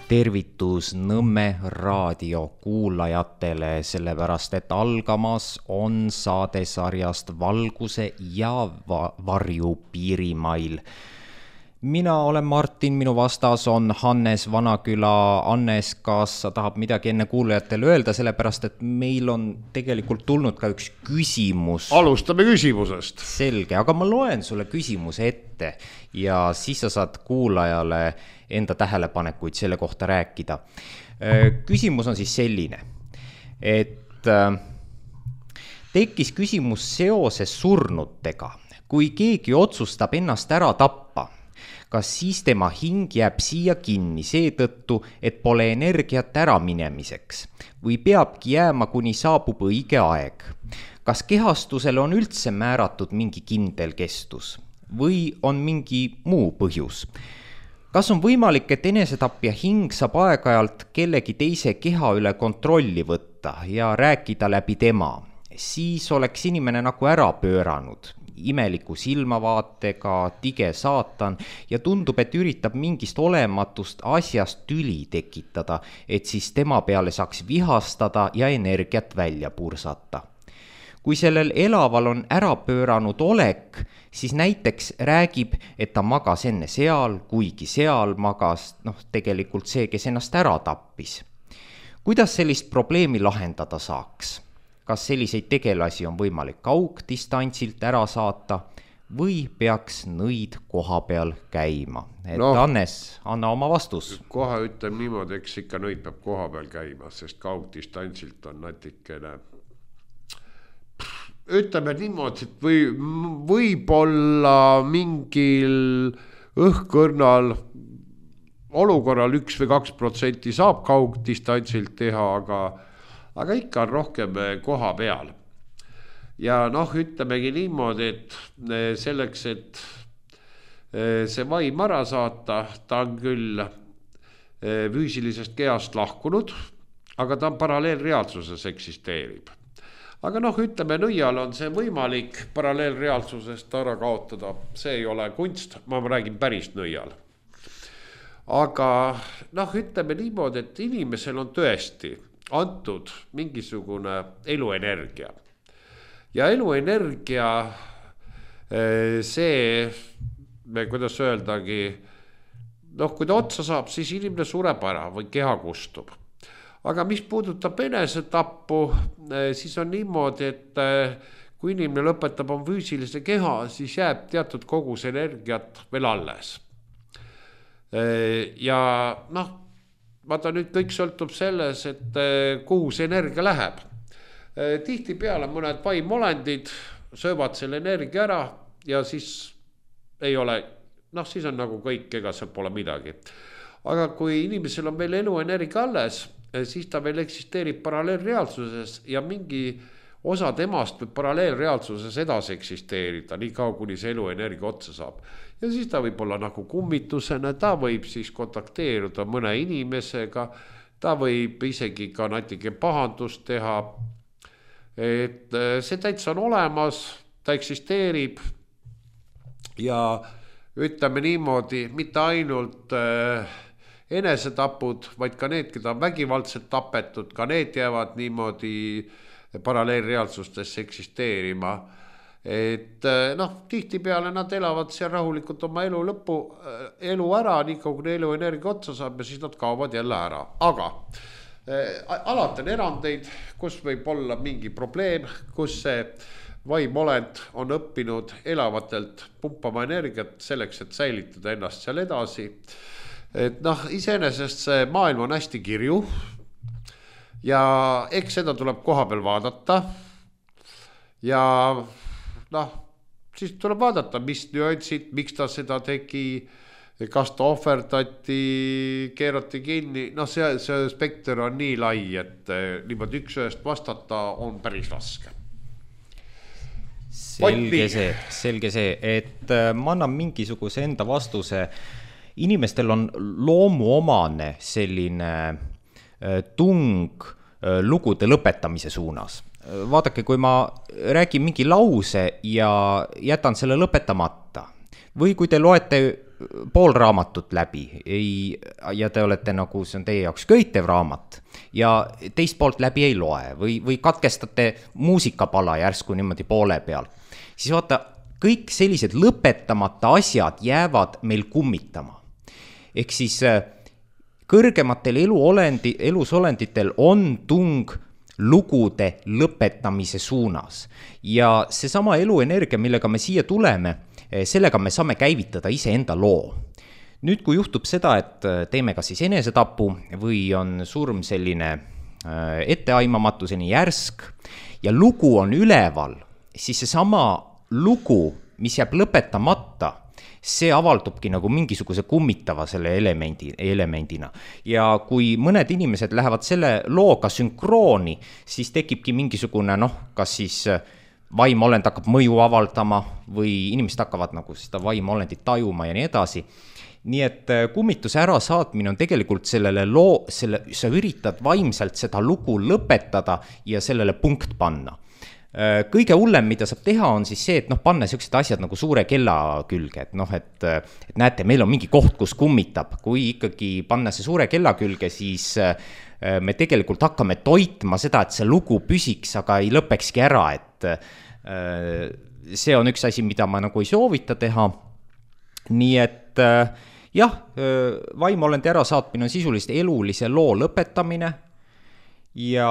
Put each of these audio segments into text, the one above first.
Tervitus Nõmme raadio kuulajatele, sellepärast et algamas on saadesarjast Valguse ja varju piirimail. Mina olen Martin, minu vastas on Hannes Vanaküla. Hannes, kas sa tahab midagi enne kuulajatele öelda, sellepärast et meil on tegelikult tulnud ka üks küsimus. Alustame küsimusest. Selge, aga ma loen sulle küsimuse ette ja siis sa saad kuulajale enda tähelepanekuid selle kohta rääkida. Küsimus on siis selline, et tekkis küsimus seoses surnutega. Kui keegi otsustab ennast ära tappa, kas siis tema hing jääb siia kinni seetõttu, et pole energiat ära minemiseks või peabki jääma, kuni saabub õige aeg? Kas kehastusele on üldse määratud mingi kindel kestus või on mingi muu põhjus? Kas on võimalik, et enesetapja hing saab aeg-ajalt kellegi teise keha üle kontrolli võtta ja rääkida läbi tema? Siis oleks inimene nagu ära pööranud, imeliku silmavaatega, tige saatan ja tundub, et üritab mingist olematust asjast tüli tekitada, et siis tema peale saaks vihastada ja energiat välja pursata. Kui sellel elaval on ära pööranud olek, siis näiteks räägib, et ta magas enne seal, kuigi seal magas, tegelikult see, kes ennast ära tappis. Kuidas sellist probleemi lahendada saaks? Kas selliseid tegelasi on võimalik kaugdistantsilt ära saata või peaks nõid koha peal käima? Hannes, anna oma vastus. Kohe ütlem niimoodi, eks ikka nõid peab koha peal käima, sest kaugdistantsilt on natikene. Ütleme niimoodi, et võib-olla mingil õhkõrnal olukorral 1 või 2% saab kaugdistantsilt teha, aga ikka on rohkem koha peal. Ja ütlemegi niimoodi, et selleks, et see vaim ära saata, ta on küll füüsilisest kehast lahkunud, aga ta on paralleelreaalsuses eksisteerib. Aga ütleme, nõial on see võimalik paralleelreaalsusest ära kaotada. See ei ole kunst, ma räägin päris nõial. Aga ütleme niimoodi, et inimesel on tõesti antud mingisugune eluenergia. Ja eluenergia, see, kuidas öeldagi, kui ta otsa saab, siis inimene sureb ära või keha kustub. Aga mis puudutab enesetappu, siis on niimoodi, et kui inimene lõpetab on füüsilise keha, siis jääb teatud kogus energiat veel alles. Ja vaata nüüd kõik sõltub selles, et kuhu see energia läheb. Tihti peale mõned vaimolendid söövad selle energia ära ja siis ei ole, siis on nagu kõik, ega seal pole midagi. Aga kui inimesel on veel eluenergia alles, siis ta veel eksisteerib paralleelreaalsuses ja mingi osa temast võib paralleelreaalsuses edasi eksisteerida, nii kaua kuni see eluenergia otsa saab. Ja siis ta võib olla nagu kummitusena, ta võib siis kontakteeruda mõne inimesega, ta võib isegi ka natuke pahandust teha. Et see täitsa on olemas, ta eksisteerib ja ütleme niimoodi, mitte ainult enesetapud, vaid ka need, keda on vägivaldselt tapetud, ka need jäävad niimoodi paralleelreaalsustesse eksisteerima. Et tihti peale nad elavad seal rahulikult oma elu ära, nii kaua kui elu energia otsa saab ja siis nad kaovad jälle ära. Aga alati on erandeid, kus võib olla mingi probleem, kus see vaimolend on õppinud elavatelt pumpama energiat selleks, et säilitada ennast seal edasi. Et iseenesest see maailm on hästi kirju ja eks seda tuleb koha peal vaadata ja siis tuleb vaadata, mis nüansid, miks ta seda tegi, kas ta ohverdati, keerati kinni, see spekter on nii lai, et niimoodi üks ühest vastata on päris raske. Selge see, et ma annan mingisuguse enda vastuse. Inimestel on loomuomane selline tung lugude lõpetamise suunas. Vaadake, kui ma räägin mingi lause ja jätan selle lõpetamata või kui te loete pool raamatut läbi ja te olete nagu, see on teie jaoks köitev raamat ja teist poolt läbi ei loe või katkestate muusikapala järsku niimoodi poole peal, siis vaata, kõik sellised lõpetamata asjad jäävad meil kummitama. Ehk siis kõrgematel elusolenditel on tung lugude lõpetamise suunas ja seesama eluenergia, millega me siia tuleme, sellega me saame käivitada iseenda loo. Nüüd, kui juhtub seda, et teeme kas siis enesetapu või on surm selline etteaimamatuseni järsk ja lugu on üleval, siis seesama lugu, mis jääb lõpetamata, see avaldubki nagu mingisuguse kummitava selle elemendina. Ja kui mõned inimesed lähevad selle looga sünkrooni, siis tekibki mingisugune, kas siis vaimolend hakkab mõju avaldama või inimesed hakkavad nagu seda vaimolendit tajuma ja nii edasi. Nii et kummituse ärasaatmine on tegelikult sa üritad vaimselt seda lugu lõpetada ja sellele punkt panna. Kõige hullem, mida saab teha, on siis see, et panna sellised asjad nagu suure kella külge, et näete, meil on mingi koht, kus kummitab. Kui ikkagi panna see suure kella külge, siis me tegelikult hakkame toitma seda, et see lugu püsiks, aga ei lõpekski ära, et see on üks asi, mida ma nagu ei soovita teha. Nii et jah, vaimolendi ärasaatmine on sisulist elulise loo lõpetamine. Ja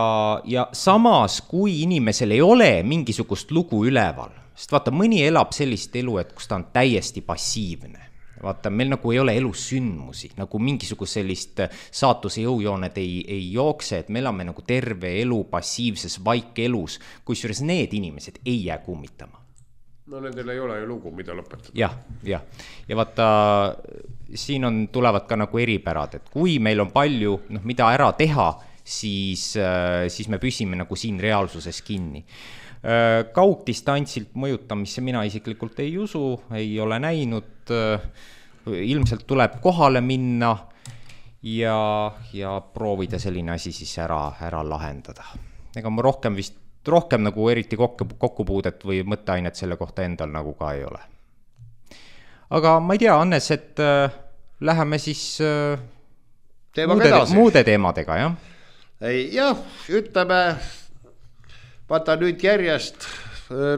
samas, kui inimesel ei ole mingisugust lugu üleval, sest vaata, mõni elab sellist elu, et kus ta on täiesti passiivne. Vaata, meil nagu ei ole elus sündmusi, nagu mingisugust sellist saatuse jõujooned ei jookse, et me elame nagu terve elu passiivses vaikelus, kusjuures need inimesed ei jää kummitama. No nendel ei ole ju lugu, mida lõpetada. Ja vaata, siin tulevad ka nagu eripärad, et kui meil on palju, mida ära teha, siis me püsime nagu siin reaalsuses kinni. Kaugdistantsilt mõjutamisse mina isiklikult ei usu, ei ole näinud, ilmselt tuleb kohale minna ja proovida selline asi siis ära lahendada. Ega ma rohkem nagu eriti kokkupuudet või mõtteainet selle kohta endal nagu ka ei ole. Aga ma ei tea, Hannes, et läheme siis muude teemadega, jah? Jah, ütleme, vaata nüüd järjest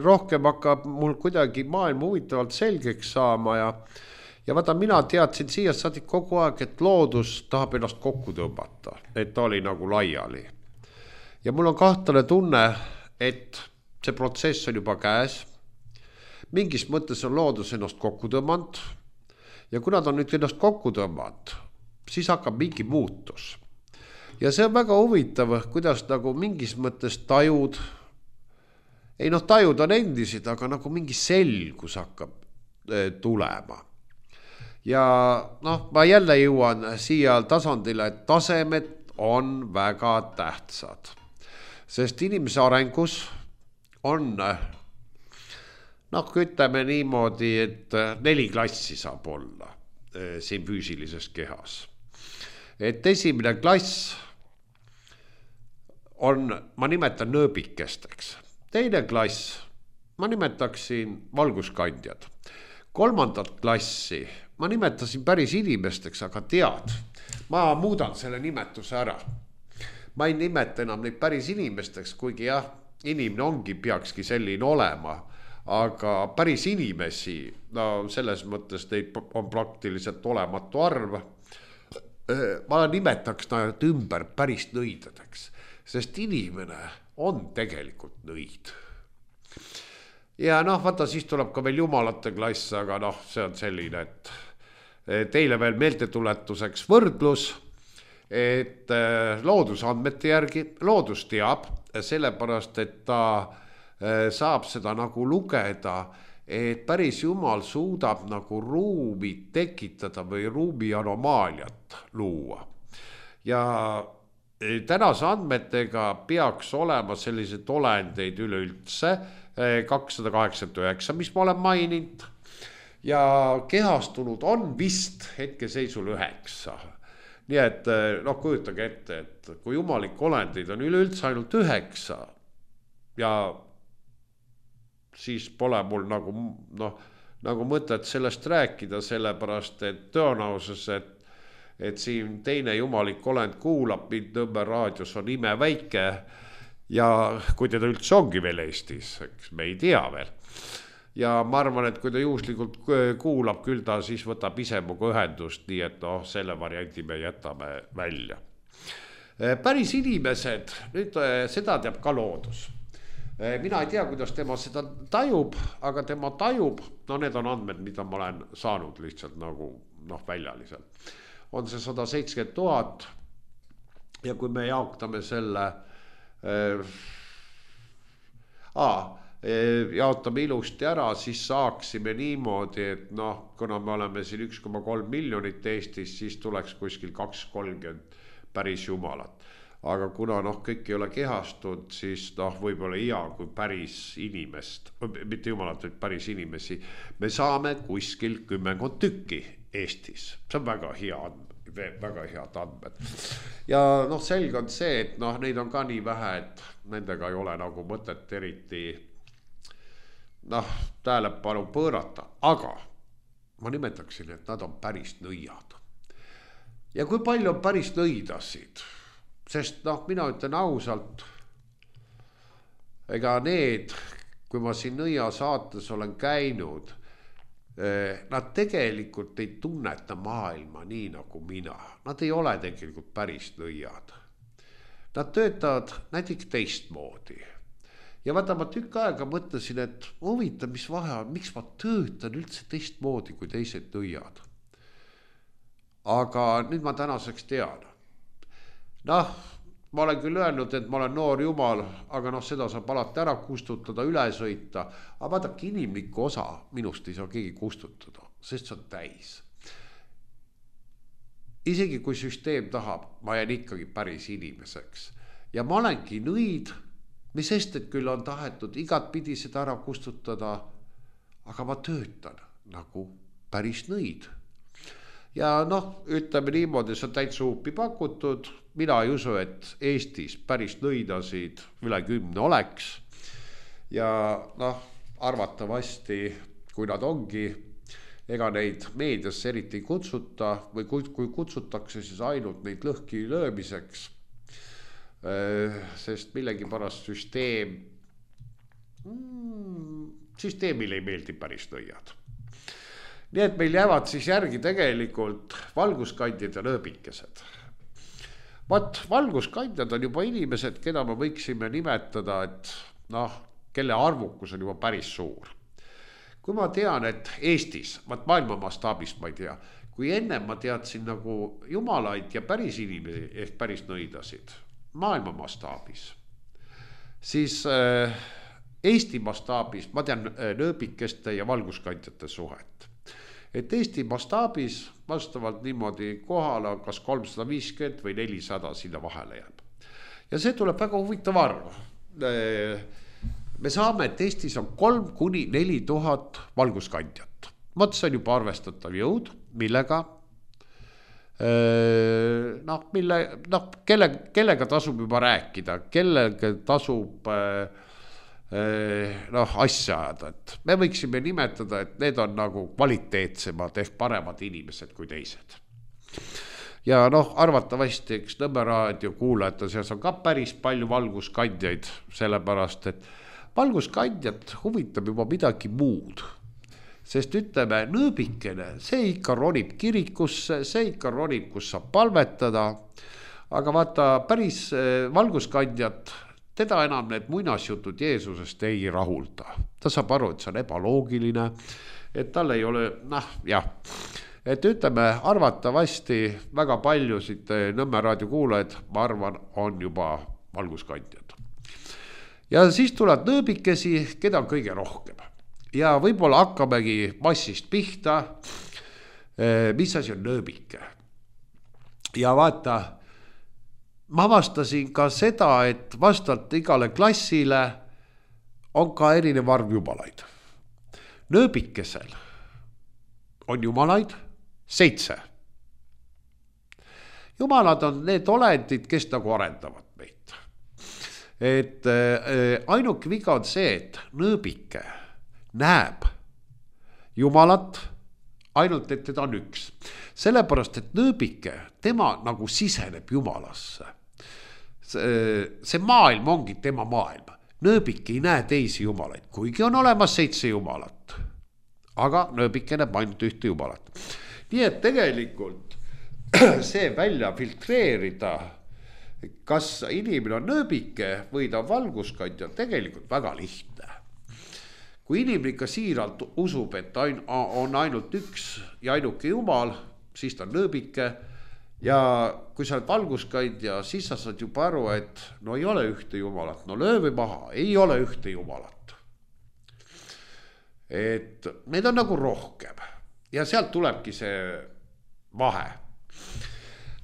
rohkem hakkab mul kuidagi maailm huvitavalt selgeks saama ja vaata, mina teadsin siia saadik kogu aeg, et loodus tahab ennast kokku tõmbata, et ta oli nagu laiali. Ja mul on kahtlane tunne, et see protsess on juba käes. Mingis mõttes on loodus ennast kokku tõmmanud ja kui nad on nüüd ennast kokku tõmmanud, siis hakkab mingi muutus. Ja see on väga huvitav, kuidas nagu mingis mõttes tajud on endisid, aga nagu mingi selgus hakkab tulema. Ja ma jälle jõuan siia tasandile, et tasemed on väga tähtsad. Sest inimese arengus on, ütleme niimoodi, et 4 klassi saab olla siin füüsilises kehas. Et esimene klass on, ma nimetan nõõbikesteks. Teine klass, ma nimetaksin valguskandjad. 3. klassi ma nimetasin päris inimesteks, aga tead, ma muudan selle nimetuse ära. Ma ei nimeta enam neid päris inimesteks, kuigi jah, inimene peakski selline olema, aga päris inimesi, selles mõttes neid on praktiliselt olematu arv. Ma nimetaks nad ümber päris nõidadeks. Sest inimene on tegelikult nõid. Ja vaata, siis tuleb ka veel jumalate klass, aga see on selline, et teile veel meeltetuletuseks võrdlus, et loodusandmete järgi loodus teab, sellepärast, et ta saab seda nagu lugeda, et päris jumal suudab nagu ruumi tekitada või ruumi anomaaliat luua. Ja tänase andmetega peaks olema sellised olendeid üleüldse 289, mis ma olen maininud. Ja kehastunud on vist hetkeseisul 9. Nii et kujutage ette, et kui jumalik olendeid on üleüldse ainult 9 ja siis pole mul nagu nagu mõtet sellest rääkida, sellepärast et tõenäosus, et siin teine jumalik olend kuulab mind Nõmme raadios on imeväike ja kui teda üldse ongi veel Eestis, eks me ei tea veel. Ja ma arvan, et kui ta juhuslikult kuulab, küll ta siis võtab ise muga ühendust, nii et selle varianti me jätame välja. Päris inimesed, nüüd seda teab ka loodus. Mina ei tea, kuidas tema seda tajub, aga tema tajub, need on andmed, mida ma olen saanud lihtsalt nagu väljaliselt. On see 170 000 ja kui me jaotame selle, jaotame ilusti ära, siis saaksime niimoodi, et kuna me oleme siin 1,3 miljonit Eestis, siis tuleks kuskil 230 päris jumalat. Aga kuna kõik ei ole kehastud, siis võib-olla hea kui päris inimest, mitte jumalat, vaid päris inimesi, me saame kuskil 10 tükki Eestis. See on väga head andmed. Ja selge on see, et neid on ka nii vähe, et nendega ei ole nagu mõtet eriti tähelepanu pöörata. Aga ma nimetaksin, et nad on päris nõiad. Ja kui palju on päris nõidasid? Sest mina ütlen ausalt, ega need, kui ma siin nõia saates olen käinud, nad tegelikult ei tunneta maailma nii nagu mina. Nad ei ole tegelikult päris nõiad. Nad töötavad näiteks teistmoodi. Ja vaata, ma tükk aega mõtlesin, et huvitav, mis vahe on, miks ma töötan üldse teistmoodi kui teised nõiad. Aga nüüd ma tänaseks tean. Ma olen küll öelnud, et ma olen noor jumal, aga seda saab alati ära kustutada, üle sõita. Aga vaadake, inimlikku osa minust ei saa keegi kustutada, sest see on täis. Isegi kui süsteem tahab, ma jään ikkagi päris inimeseks. Ja ma olengi nõid, mis sest, et küll on tahetud igat pidi seda ära kustutada, aga ma töötan nagu päris nõid. Ja ütleme niimoodi, see on täitsa huupi pakutud. Mina ei usu, et Eestis päris nõidasid üle 10 oleks. Ja arvatavasti, kui nad ongi, ega neid meediasse eriti ei kutsuta või kui kutsutakse, siis ainult neid lõhki löömiseks. Sest millegipärast süsteemile ei meeldi päris nõiad. Nii et meil jäävad siis järgi tegelikult valguskandjad ja nööbikesed. Valguskandjad on juba inimesed, keda me võiksime nimetada, et kelle arvukus on juba päris suur. Kui ma tean, et Eestis, maailma mastaabis ma ei tea, kui enne ma teadsin nagu jumalaid ja päris inimesi ehk päris nõidasid maailma mastaabis, siis Eesti mastaabis ma tean nööbikeste ja valguskandjate suhet. Et Eesti mastaabis vastavalt niimoodi kohale kas 350 või 400 sinna vahele jääb. Ja see tuleb väga huvitav arv. Me saame, et Eestis on 3-4 tuhat valguskandjat. See on juba arvestatav jõud, millega kellega tasub juba rääkida, kellega tasub asja ajada, et me võiksime nimetada, et need on nagu kvaliteetsemad ehk paremad inimesed kui teised. Ja arvatavasti, eks Nõmme raadio kuulajate seas on ka päris palju valguskandjaid, sellepärast, et valguskandjat huvitab juba midagi muud. Sest ütleme, nööbikene, see ikka ronib kirikusse, see ikka ronib, kus saab palvetada, aga vaata päris valguskandjat, teda enam need muinasjutud Jeesusest ei rahulda. Ta saab aru, et see on ebaloogiline, et tal ei ole, et ütleme, arvatavasti väga paljusid Nõmme raadio kuulajaid, ma arvan, on juba valguskandjad. Ja siis tuleb nööbikesi, keda on kõige rohkem. Ja võib-olla hakkamegi massist pihta, mis asi on nööbike. Ja vaata, ma avastasin ka seda, et vastavalt igale klassile on ka erinev arv jumalaid. Nööbikesel on jumalaid 7. Jumalad on need olendid, kes nagu arendavad meid. Et ainuke viga on see, et nööbike näeb jumalat, ainult et teda on üks. Sellepärast, et nööbike, tema nagu siseneb jumalasse. See maailm ongi tema maailm. Nööbik ei näe teisi jumalaid, kuigi on olemas 7 jumalat. Aga nööbike näeb ainult ühte jumalat. Nii et tegelikult see välja filtreerida, kas inimene on nööbike või ta on valguskandja, tegelikult väga lihtne. Kui inimene ikka siiralt usub, et on ainult üks ja ainuke jumal, siis ta on nööbike. Ja kui sa oled valguskandja, siis sa saad juba aru, et no ei ole ühte jumalat, no löövi maha, ei ole ühte jumalat. Et neid on nagu rohkem ja sealt tulebki see vahe.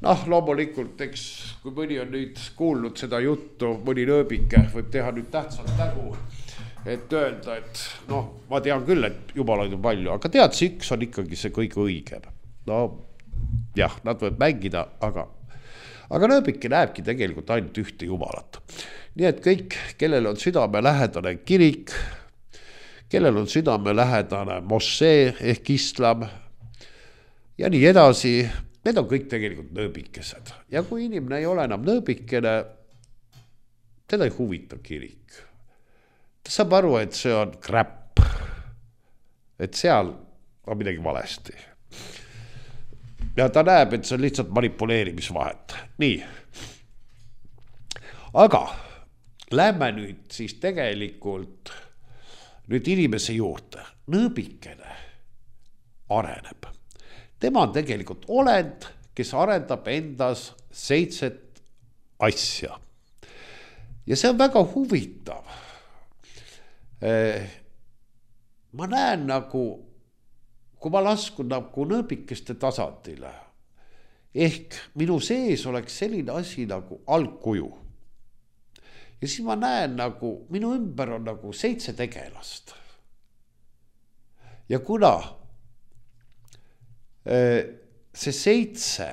Noh, loomulikult, eks kui mõni on nüüd kuulnud seda juttu, mõni nööbike võib teha nüüd tähtsalt nägu, et öelda, et noh, ma tean küll, et jumalaid on palju, aga tead, see üks on ikkagi see kõige õigem. No jah, nad võib mängida, aga nööbike näebki tegelikult ainult ühte jumalat. Nii et kõik, kellel on südamelähedane kirik, kellel on südamelähedane mošee ehk islam ja nii edasi, need on kõik tegelikult nööbikesed. Ja kui inimene ei ole enam nööbikene, teda ei huvita kirik. Ta saab aru, et see on crap, et seal on midagi valesti. Ja ta näeb, et see on lihtsalt manipuleerimisvahet. Nii. Aga lähme nüüd siis tegelikult nüüd inimese juurde. Nööbikene areneb. Tema on tegelikult olend, kes arendab endas 7 asja. Ja see on väga huvitav. Ma näen nagu, kui ma laskun nagu nööbikeste tasandile, ehk minu sees oleks selline asi nagu algkuju. Ja siis ma näen nagu, minu ümber on nagu 7 tegelast. Ja kuna see 7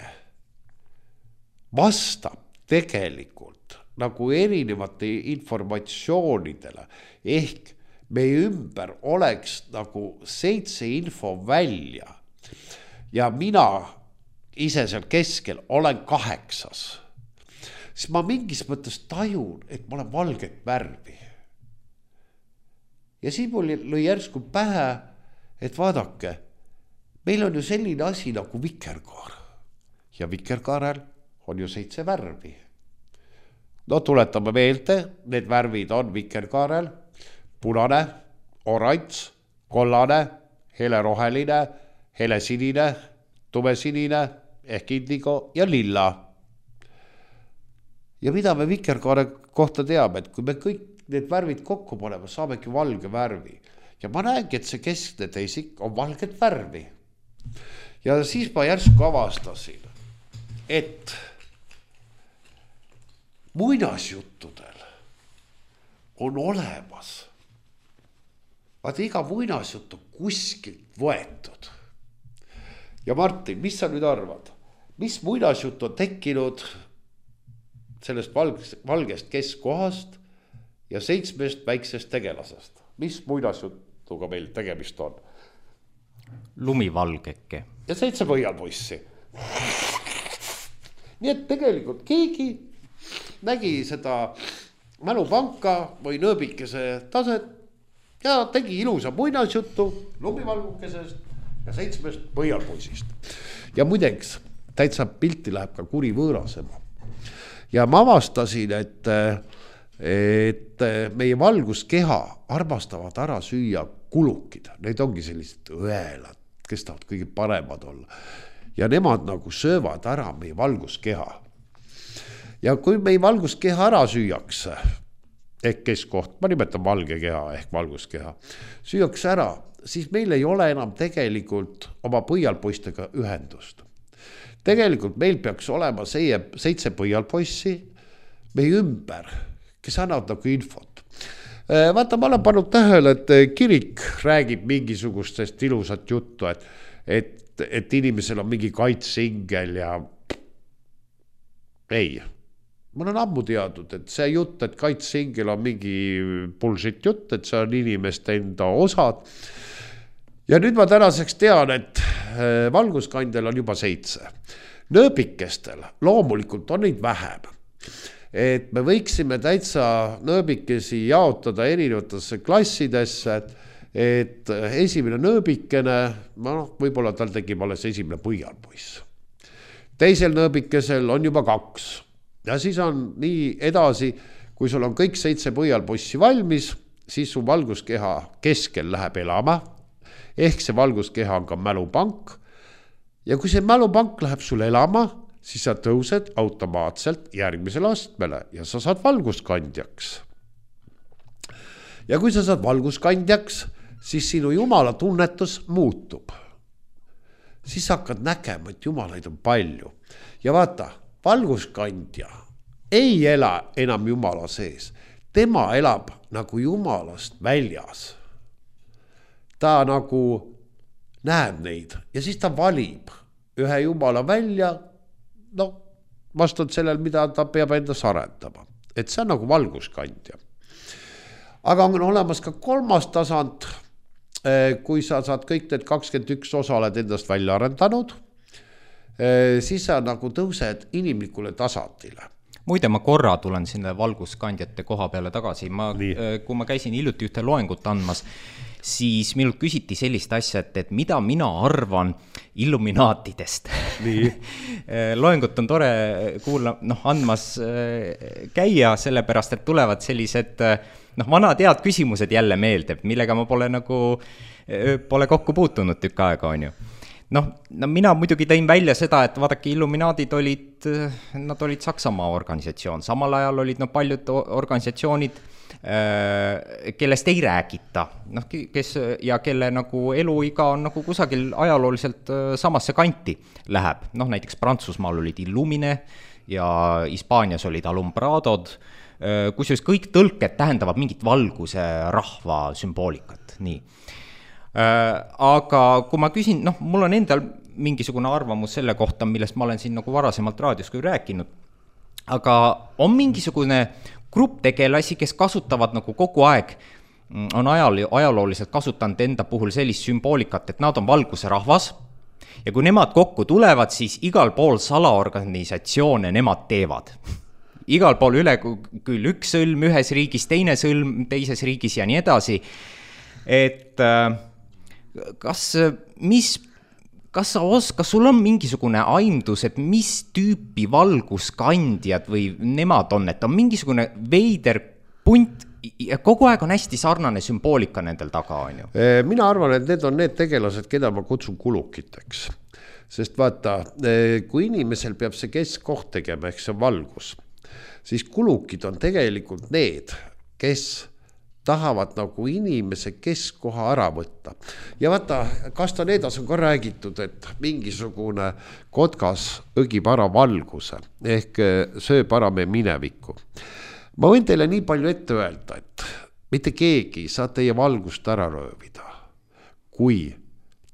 vastab tegelikult nagu erinevate informatsioonidele, ehk meie ümber oleks nagu 7 info välja ja mina ise seal keskel olen 8, siis ma mingis mõttes tajun, et ma olen valget värvi. Ja siis mul lõi järsku pähe, et vaadake, meil on ju selline asi nagu vikerkaar ja vikerkaarel on ju 7 värvi. No tuletame meelde, need värvid on vikerkaarel punane, oranž, kollane, heleroheline, helesinine, tumesinine ehk indigo ja lilla. Ja mida me vikerkaare kohta teame, et kui me kõik need värvid kokku paneme, saamegi valge värvi. Ja ma näengi, et see keskne teisik on valget värvi. Ja siis ma järsku avastasin, et muinasjuttudel on olemas. Vaata, iga muinasjuttu kuskilt võetud. Ja Martin, mis sa nüüd arvad? Mis muinasjuttu on tekkinud sellest valgest keskkohast ja 7 väiksest tegelasest? Mis muinasjutuga meil tegemist on? Lumivalgeke. Ja 7 võialpoissi. Nii et tegelikult keegi nägi seda mälupanka või nööbikese taset ja tegi ilusa muinasjuttu lumivalgukesest ja 7 võialpoisist. Ja muideks, täitsa pilti läheb ka kuri võõrasema. Ja ma avastasin, et meie valguskeha armastavad ära süüa kulukid. Need ongi sellised õelad, kes tahavad kõige paremad olla. Ja nemad nagu söövad ära meie valguskeha. Ja kui meie valguskeha ära süüakse, ehk keskkoht, ma nimetan valge keha ehk valguskeha, süüakse ära, siis meil ei ole enam tegelikult oma põialpoistega ühendust. Tegelikult meil peaks olema 7 põialpoissi meie ümber, kes annavad nagu infot. Vaata, ma olen pannud tähele, et kirik räägib mingisugustest ilusat juttu, et inimesel on mingi kaitsingel ja ei. Ma olen ammu teadnud, et see jutt, et kaitsingel on mingi bullshit jutt, et see on inimeste enda osad. ja nüüd ma tänaseks tean, et valguskandjal on juba 7. Nööbikestel loomulikult on neid vähem. Et me võiksime täitsa nööbikesi jaotada erinevatesse klassidesse, et esimene nööbikene, võib-olla tal tegib alles esimene põialpoiss. Teisel nööbikesel on juba 2. Ja siis on nii edasi, kui sul on kõik 7 põialpoissi valmis, siis su valguskeha keskel läheb elama, ehk see valguskeha on ka mälupank. Ja kui see mälupank läheb sul elama, siis sa tõused automaatselt järgmisele astmele ja sa saad valguskandjaks. Ja kui sa saad valguskandjaks, siis sinu jumala tunnetus muutub. Siis hakkad nägema, et jumalaid on palju. Ja vaata, valguskandja ei ela enam jumala sees. Tema elab nagu jumalast väljas. Ta nagu näeb neid ja siis ta valib ühe jumala välja, vastavalt sellel, mida ta peab endas arendama. Et see on nagu valguskandja. Aga on olemas ka 3. tasand, kui sa saad kõik need 21 osa oled endast välja arendanud, siis sa nagu tõused inimlikule tasandile. Muide, ma korra tulen sinna valguskandjate koha peale tagasi. Kui ma käisin hiljuti ühte loengut andmas, siis minult küsiti sellist asja, et mida mina arvan illuminaatidest. Loengut on tore andmas käia, sellepärast, et tulevad sellised vanad head küsimused jälle meelde, millega ma pole kokku puutunud tükk aega, on ju. Mina muidugi tõin välja seda, et vaadake, illuminaadid olid Saksamaa organisatsioon. Samal ajal olid paljud organisatsioonid, kellest ei räägita, ja kelle eluiga on kusagil ajalooliselt samasse kanti läheb. Näiteks Prantsusmaal olid Illumine ja Hispaanias olid Alumbradod, kusjuures kõik tõlked tähendavad mingit valguse rahva sümboolikat, nii. Aga kui ma küsin, mul on endal mingisugune arvamus selle kohta, millest ma olen siin varasemalt raadios küll rääkinud, aga on mingisugune grupp tegelasi, kes kasutavad kogu aeg, on ajalooliselt kasutanud enda puhul sellist sümboolikat, et nad on valguse rahvas ja kui nemad kokku tulevad, siis igal pool salaorganisatsioone nemad teevad. Igal pool üle küll üks sõlm ühes riigis, teine sõlm teises riigis ja nii edasi, et kas sul on mingisugune aimdus, et mis tüüpi valguskandjad või nemad on, et on mingisugune veider punt ja kogu aeg on hästi sarnane sümboolika nendel taga, on ju? Mina arvan, et need on need tegelased, keda ma kutsun kulukiteks. Sest vaata, kui inimesel peab see keskkoht tegema, ehk see valgus, siis kulukid on tegelikult need, kes tahavad inimese keskkoha ära võtta. Ja vaata, Castanedas on ka räägitud, et mingisugune kotkas õgib ära valguse, ehk sööb ära me minevikku. Ma võin teile nii palju ette öelda, et mitte keegi saa teie valgust ära röövida, kui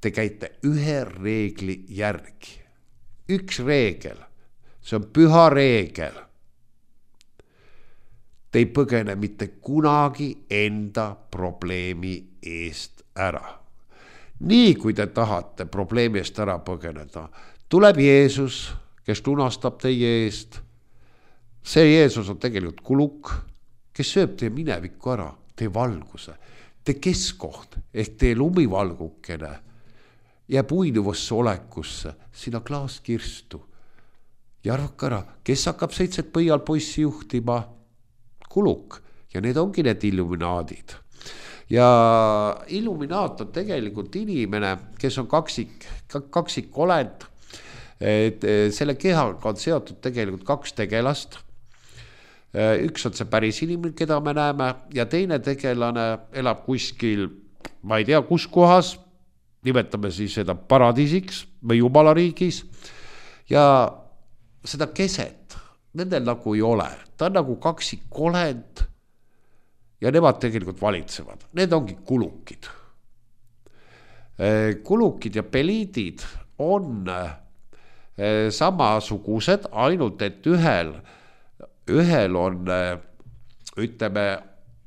te käite ühe reegli järgi. Üks reegel, see on püha reegel. Te ei põgene mitte kunagi enda probleemi eest ära. Nii kui te tahate probleemi eest ära põgeneda, tuleb Jeesus, kes lunastab teie eest. See Jeesus on tegelikult kuluk, kes sööb teie minevikku ära, teie valguse, teie keskkoht ehk teie lumivalgukene jääb uinuvasse olekusse, sinna klaaskirstu. Ja arvake ära, kes hakkab 7 põialpoissi juhtima? Kuluk ja need ongi need illuminaadid. Ja illuminaat on tegelikult inimene, kes on kaksikolend. Selle kehaga on seotud tegelikult 2 tegelast. Üks on see päris inimene, keda me näeme, ja teine tegelane elab kuskil, ma ei tea kus kohas, nimetame siis seda paradiisiks või jumalariigis. Ja seda keset nendel ei ole. Ta on kaksikolend ja nemad tegelikult valitsevad. Need ongi kulukid. Kulukid ja peliidid on samasugused, ainult et ühel on, ütleme,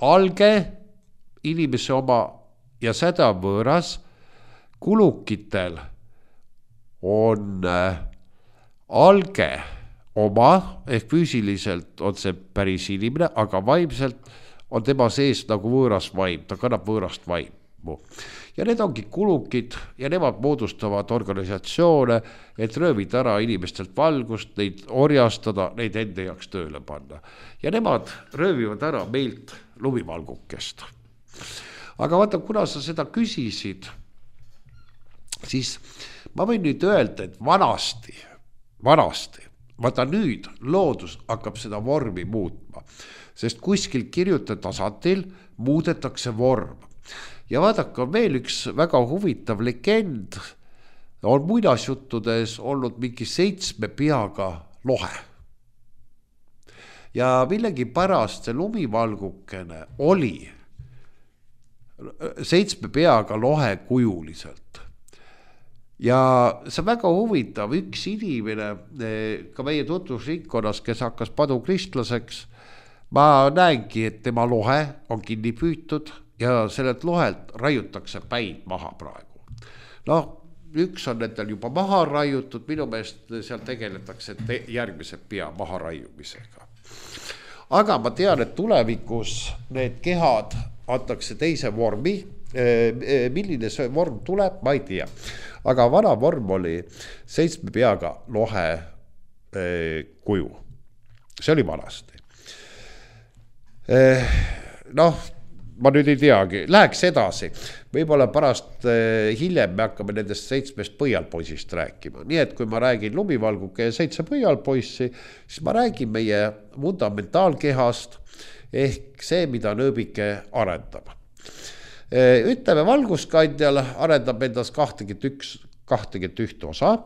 alge inimese oma ja seda võõras kulukitel on alge oma, ehk füüsiliselt on see päris inimene, aga vaimselt on tema sees nagu võõras vaim, ta kannab võõrast vaimu. Ja need ongi kulukid ja nemad moodustavad organisatsioone, et röövida ära inimestelt valgust, neid orjastada, neid enda jaoks tööle panna. Ja nemad röövivad ära meilt lumivalgukest. Aga vaata, kuna sa seda küsisid, siis ma võin nüüd öelda, et vanasti, vaata nüüd loodus hakkab seda vormi muutma, sest kuskil kirjuta tasandil muudetakse vorm. Ja vaadake, on veel üks väga huvitav legend, on muinasjuttudes olnud mingi 7 peaga lohe. Ja millegi pärast see lumivalgukene oli 7 peaga lohe kujuliselt. Ja see on väga huvitav, üks inimene ka meie tutvusringkonnas, kes hakkas padukristlaseks, ma näengi, et tema lohe on kinni püütud ja sellelt lohelt raiutakse päid maha praegu. No, üks on nendel juba maha raiutud, minu meelest seal tegeletakse järgmise pea maha raiumisega. Aga ma tean, et tulevikus need kehad antakse teise vormi, milline see vorm tuleb, ma ei tea. Aga vana vorm oli 7 peaga lohe kuju. See oli vanasti. Noh, ma nüüd ei teagi, läheks edasi. Võib-olla pärast hiljem me hakkame nendest 7 põialpoisist rääkima. Nii et kui ma räägin lumivalguke ja 7 põialpoissi, siis ma räägin meie fundamentaalkehast ehk see, mida nööbike arendab. Ütleme, valguskandjal arendab endas 21 osa.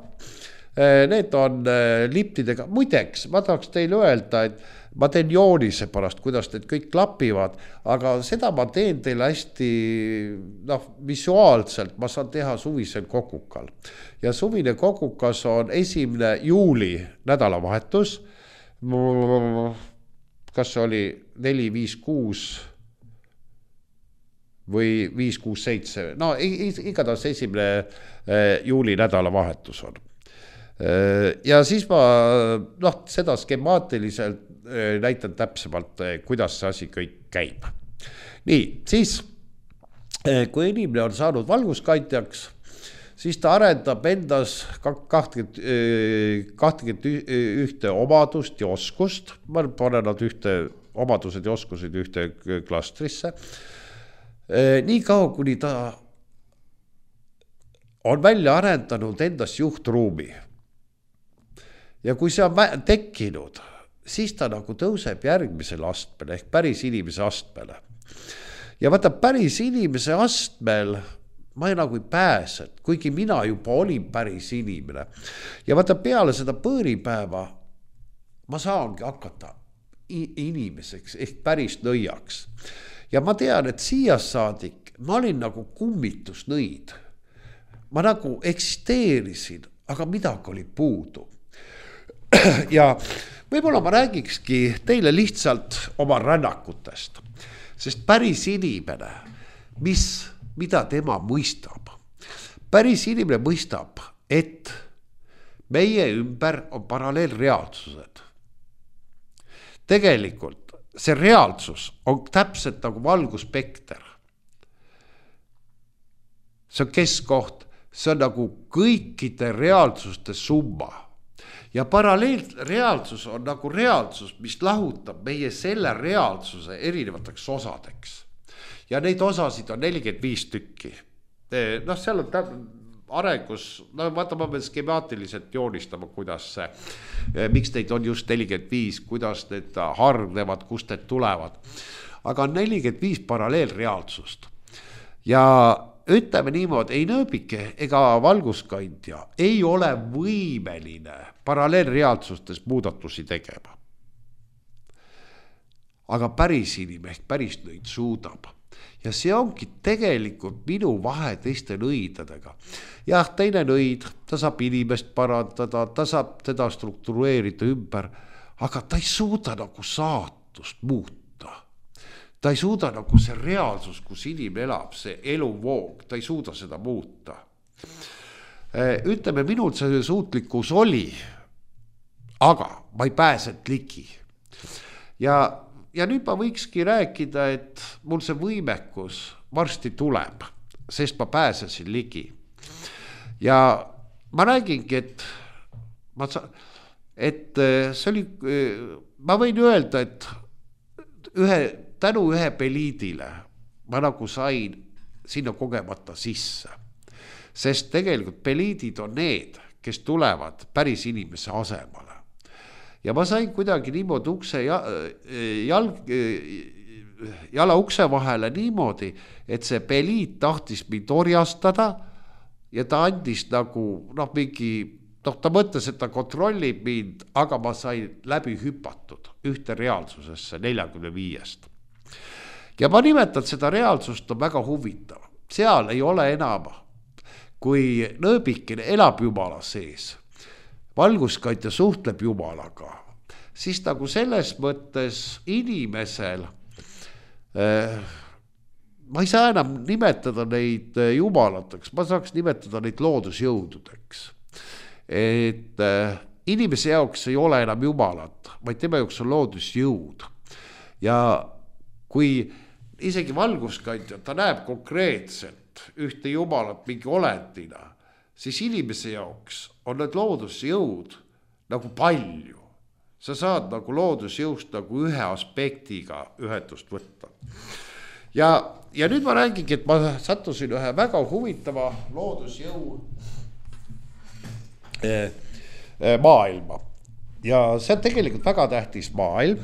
Need on liptidega. Muideks, ma tahaks teile öelda, et ma teen joonise pärast, kuidas need kõik klapivad, aga seda ma teen teile hästi visuaalselt, ma saan teha suvisel kokukal. Ja suvine kokukas on 1. juuli nädalavahetus, kas see oli 4, 5, 6 või 5, 6, 7, no igatahes 1. juuli nädalavahetus on. Ja siis ma seda skemaatiliselt näitan täpsemalt, kuidas see asi kõik käib. Nii, siis kui inimene on saanud valguskandjaks, siis ta arendab endas 21 omadust ja oskust. Ma panen nad omadused ja oskused ühte klastrisse. Nii kaua, kuni ta on välja arendanud endas juhtruumi. Ja kui see on tekkinud, siis ta nagu tõuseb järgmisele astmele ehk päris inimese astmele. Ja vaata, päris inimese astmel ma nagu ei pääse, kuigi mina juba olin päris inimene. Ja vaata, peale seda põõripäeva ma saangi hakata inimeseks ehk päris nõiaks. Ja ma tean, et siia saadik ma olin nagu kummitusnõid. Ma nagu eksisteerisin, aga midagi oli puudu. Ja võib-olla ma räägikski teile lihtsalt oma rännakutest, sest päris inimene, mida tema mõistab. Päris inimene mõistab, et meie ümber on paralleelreaalsused. Tegelikult see reaalsus on täpselt nagu valguspekter. See on keskkoht, see on nagu kõikide reaalsuste summa. Ja paralleelreaalsus on nagu reaalsus, mis lahutab meie selle reaalsuse erinevateks osadeks. Ja neid osasid on 45 tükki. Seal on arengus, vaata, ma pean skemaatiliselt joonistama, kuidas see, miks neid on just 45, kuidas need hargnevad, kust need tulevad. Aga on 45 paralleelreaalsust. Ja ütleme niimoodi, ei nööbike ega valguskandja ei ole võimeline paralleelreaalsustes muudatusi tegema. Aga päris inimene ehk päris nõid suudab. Ja see ongi tegelikult minu vahe teiste nõidadega. Jah, teine nõid, ta saab inimest parandada, ta saab teda struktureerida ümber, aga ta ei suuda nagu saatust muuta. Ta ei suuda nagu see reaalsus, kus inimene elab, see eluvoog, ta ei suuda seda muuta. Ütleme, minul see suutlikkus oli, aga ma ei pääsenud ligi. Ja nüüd ma võikski rääkida, et mul see võimekus varsti tuleb, sest ma pääsesin ligi. Ja ma räägingi, et see oli, ma võin öelda, et tänu ühe peliidile ma nagu sain sinna kogemata sisse. Sest tegelikult peliidid on need, kes tulevad päris inimese asemale. Ja ma sain kuidagi niimoodi jala ukse vahele niimoodi, et see peliid tahtis mind orjastada ja ta andis nagu, ta mõtles, et ta kontrollib mind, aga ma sain läbi hüpatud ühte reaalsusesse 45-st. Ja ma nimetan seda reaalsust on väga huvitav. Seal ei ole enam, kui nõõbikene elab Jumala sees, valguskaitja suhtleb Jumalaga, siis nagu selles mõttes inimesel, ma ei saa enam nimetada neid jumalateks, ma saaks nimetada neid loodusjõududeks. Et inimese jaoks ei ole enam jumalat, vaid tema jaoks on loodusjõud. Ja kui isegi valguskaitja, ta näeb konkreetselt ühte jumalat mingi olendina, siis inimese jaoks on need loodusjõud nagu palju. Sa saad nagu loodusjõust nagu ühe aspektiga ühendust võtta. Ja nüüd ma räägingi, et ma sattusin ühe väga huvitava loodusjõu maailma. Ja see on tegelikult väga tähtis maailm,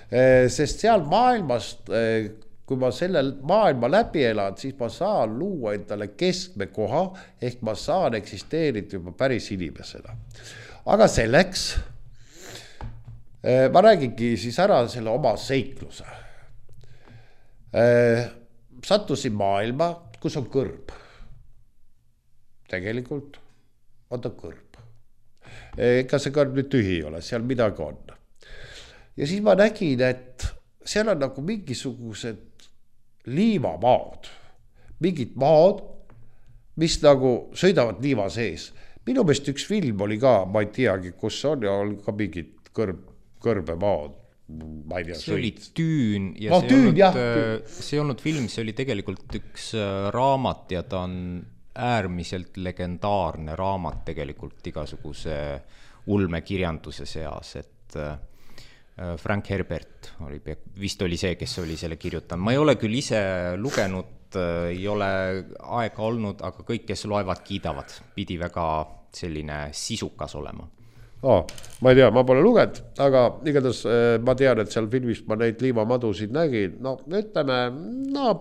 sest seal maailmast, kui ma selle maailma läbi elan, siis ma saan luua endale keskme koha, ehk ma saan eksisteerida juba päris inimesena. Aga selleks ma räägingi siis ära selle oma seikluse. Sattusin maailma, kus on kõrb. Tegelikult on ta kõrb. Ega see kõrb nüüd tühi ei ole, seal midagi on. Ja siis ma nägin, et seal on nagu mingisugused liivamaad, mingid maad, mis nagu sõidavad liiva sees. Minu meelest üks film oli ka, ma ei teagi, kus on ja oli ka mingid kõrbemaad. See oli Tüün ja see ei olnud film, see oli tegelikult üks raamat ja ta on äärmiselt legendaarne raamat tegelikult igasuguse ulmekirjanduse seas, et Frank Herbert vist oli see, kes oli selle kirjutanud. Ma ei ole küll ise lugenud, ei ole aega olnud, aga kõik, kes loevad, kiidavad. Pidi väga selline sisukas olema. Ma ei tea, ma pole lugenud, aga igatahes ma tean, et seal filmis ma neid liivamadusid nägin. Ütleme,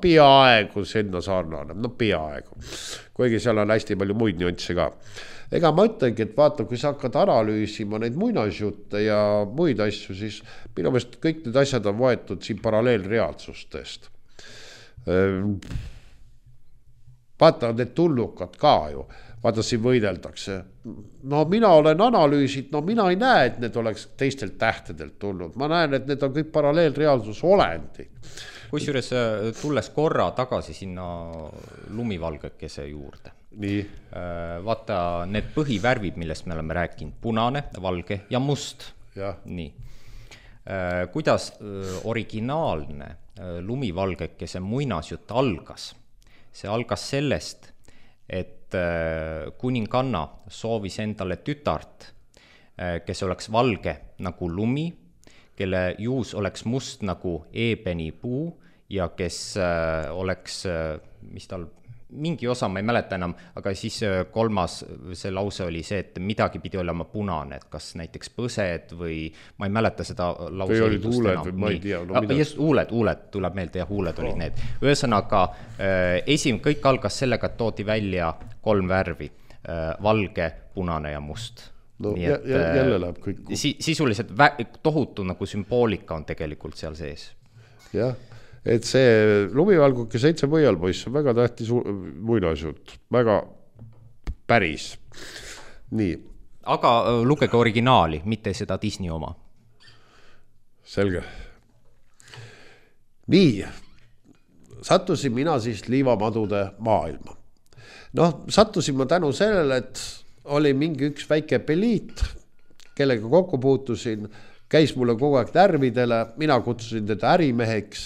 peaaegu sinna sarnane, peaaegu. Kuigi seal on hästi palju muid nüansse ka. Ega ma ütlengi, et vaata, kui sa hakkad analüüsima neid muinasjutte ja muid asju, siis minu meelest kõik need asjad on võetud siin paralleelreaalsustest. Vaata, need tulnukad ka ju, vaata siin võideldakse. Mina olen analüüsid, mina ei näe, et need oleks teistelt tähtedelt tulnud. Ma näen, et need on kõik paralleelreaalsus olendid. Kusjuures tulles korra tagasi sinna lumivalgekese juurde. Nii. Vaata, need põhivärvid, millest me oleme rääkinud, punane, valge ja must. Ja. Nii. Kuidas originaalne lumivalgekese muinasjutt algas? See algas sellest, et kuninganna soovis endale tütart, kes oleks valge nagu lumi, kelle juus oleks must nagu eebeni puu ja kes oleks, mis tal mingi osa, ma ei mäleta enam, aga siis kolmas see lause oli see, et midagi pidi olema punane, et kas näiteks põsed või ma ei mäleta seda lause. Või olid huuled või ma ei tea. Just huuled tuleb meelde ja huuled olid need. Ühesõnaga, kõik algas sellega, et toodi välja 3 värvi, valge, punane ja must. Jälle läheb kõik. Sisuliselt tohutu nagu sümboolika on tegelikult seal sees. Jah. Et see lumivalguke 7 võialpoiss on väga tähtis muinasjutt, väga päris. Nii. Aga lugege originaali, mitte seda Disney oma. Selge. Nii, sattusin mina siis liivamadude maailma. noh, sattusin ma tänu sellele, et oli mingi üks väike peliit, kellega kokku puutusin, käis mulle kogu aeg närvidele, mina kutsusin teda ärimeheks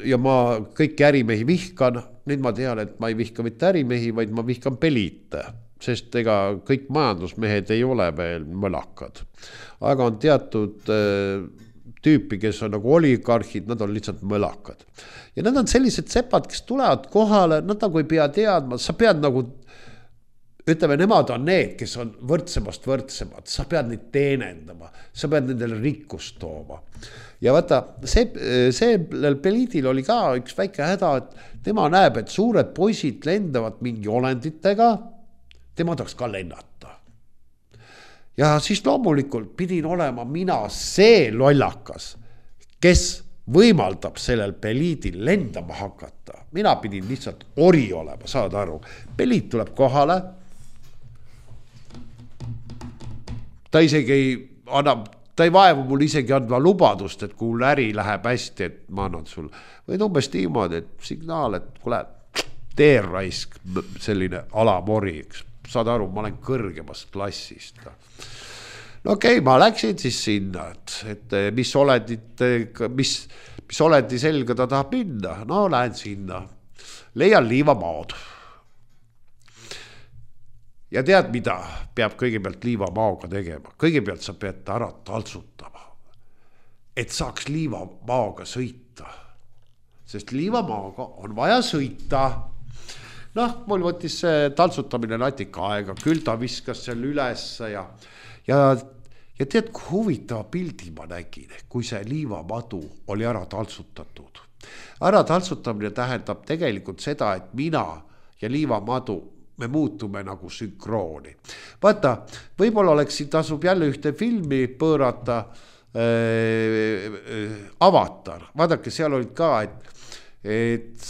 ja ma kõiki ärimehi vihkan. Nüüd ma tean, et ma ei vihka mitte ärimehi, vaid ma vihkan peliite, sest ega kõik majandusmehed ei ole veel mõlakad. Aga on teatud tüüpi, kes on nagu oligarhid, nad on lihtsalt mõlakad. Ja nad on sellised sepad, kes tulevad kohale, nad nagu ei pea teadma, sa pead nagu, ütleme, nemad on need, kes on võrdsemast võrdsemad, sa pead neid teenendama, sa pead nendele rikkust tooma. Ja vaata, sellel peliidil oli ka üks väike häda, et tema näeb, et suured poisid lendavad mingi olenditega, tema tahaks ka lennata. Ja siis loomulikult pidin olema mina see lollakas, kes võimaldab sellel peliidil lendama hakata. Mina pidin lihtsalt ori olema, saad aru. Peliid tuleb kohale, ta isegi annab, ta ei vaevu mul isegi andma lubadust, et kui äri läheb hästi, et ma annan sul. Või umbes niimoodi, et signaal, et kuule, teerraisk, selline alamori, saad aru, ma olen kõrgemast klassist. No okei, ma läksin siis sinna, et mis oledi selga ta tahab minna. No lähen sinna, leian liivamaod. Ja tead, mida peab kõigepealt liivamaoga tegema? Kõigepealt sa pead ta ära taltsutama, et saaks liivamaoga sõita. Sest liivamaoga on vaja sõita. Noh, mul võttis see taltsutamine natika aega, küll ta viskas seal üles ja tead, kui huvitava pildi ma nägin, kui see liivamadu oli ära taltsutatud. Ära taltsutamine tähendab tegelikult seda, et mina ja liivamadu me muutume nagu sünkrooni. Vaata, võib-olla oleks siin tasub jälle ühte filmi pöörata Avatar. Vaadake, seal olid ka, et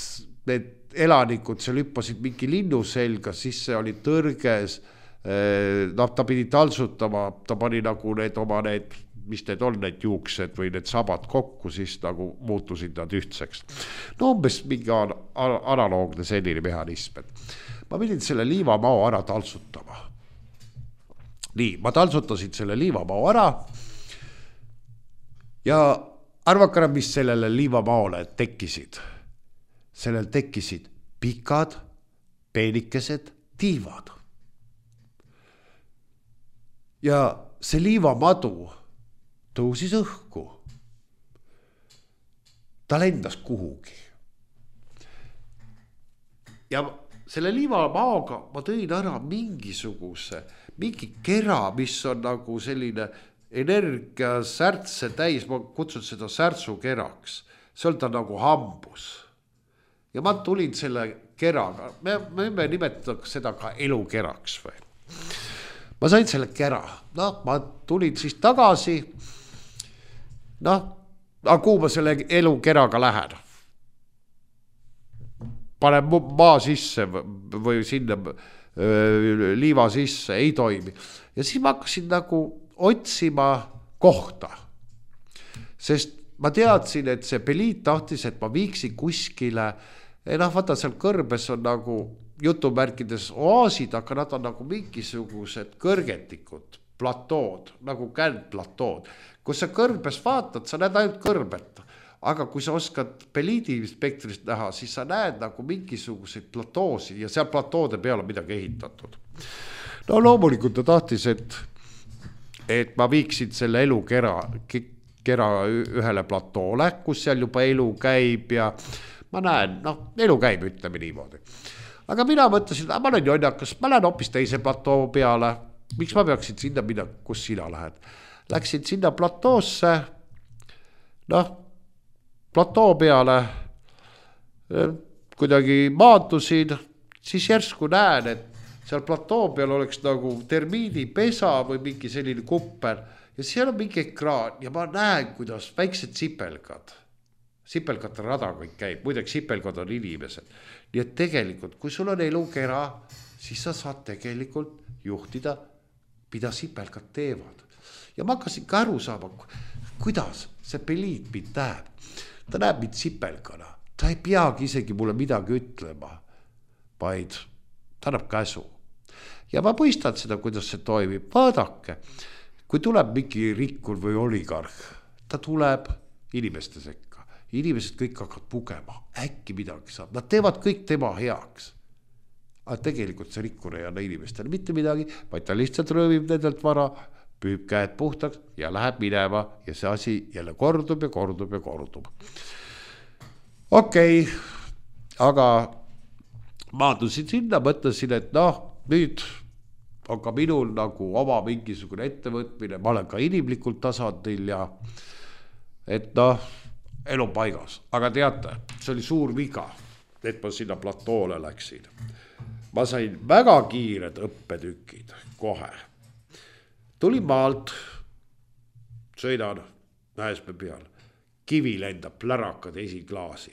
need elanikud seal hüppasid mingi linnu selga, siis see oli tõrges, ta pidi taltsutama, ta pani nagu need oma need, mis need on, need juuksed või need sabad kokku, siis nagu muutusid nad ühtseks. No umbes mingi analoogne selline mehhanism, et ma pidin selle liivamao ära taltsutama. Nii, ma taltsutasin selle liivamao ära ja arvakara, mis sellele liivamaole tekkisid. Sellel tekkisid pikad, peenikesed tiivad. Ja see liivamadu tõusis õhku. Ta lendas kuhugi. Ja selle liivamaoga ma tõin ära mingi kera, mis on nagu selline energia särtse täis, ma kutsun seda särtsukeraks. See on ta nagu hambus. Ja ma tulin selle keraga, me nimetaks seda ka elukeraks või. Ma sain selle kera, ma tulin siis tagasi, kuhu ma selle elukeraga lähen. Panen maa sisse või sinna liiva sisse, ei toimi. Ja siis ma hakkasin nagu otsima kohta. Sest ma teadsin, et see peliit tahtis, et ma viiksin kuskile, vaata seal kõrbes on nagu jutumärkides oaasid, aga nad on nagu mingisugused kõrgetikud, platood, nagu kändplatood. Kui sa kõrbes vaatad, sa näed ainult kõrbet. Aga kui sa oskad peliidi spektrist näha, siis sa näed nagu mingisuguseid platoosi ja seal platoode peal on midagi ehitatud. No loomulikult ta tahtis, et ma viiksin selle elukera ühele platoole, kus seal juba elu käib ja ma näen, elu käib, ütleme niimoodi. Aga mina mõtlesin, ma olen jonnakas, ma lähen hoopis teise platoo peale. Miks ma peaksin sinna minna, kus sina lähed? Läksin sinna platoosse, platoo peale, kuidagi maandusin, siis järsku näen, et seal platoo peal oleks nagu termiidipesa või mingi selline kupper ja seal on mingi ekraan ja ma näen, kuidas väiksed sipelgate rada kõik käib, muideks sipelgad on inimesed. Nii et tegelikult, kui sul on elukera, siis sa saad tegelikult juhtida, mida sipelgad teevad. Ja ma hakkasin ka aru saama, kuidas see peliit mind näeb. Ta näeb mind sipelgana, ta ei peagi isegi mulle midagi ütlema, vaid ta annab käsu. Ja ma mõistan seda, kuidas see toimib. Vaadake, kui tuleb mingi rikkur või oligarh, ta tuleb inimeste sekka. Inimesed kõik hakkavad pugema, äkki midagi saab. Nad teevad kõik tema heaks. Aga tegelikult see rikkur ei anna inimestele mitte midagi, vaid ta lihtsalt röövib nendelt vara, püüb käed puhtaks ja läheb minema ja see asi jälle kordub ja kordub ja kordub. Okei, aga maandusin sinna, mõtlesin, et nüüd on ka minul nagu oma mingisugune ettevõtmine, ma olen ka inimlikult tasandil ja et elu paigas. Aga teate, see oli suur viga, et ma sinna platoole läksin. Ma sain väga kiired õppetükid kohe. Tulin maalt, sõidan Mäesmäe peal, kivi lendab plärakad esiklaasi,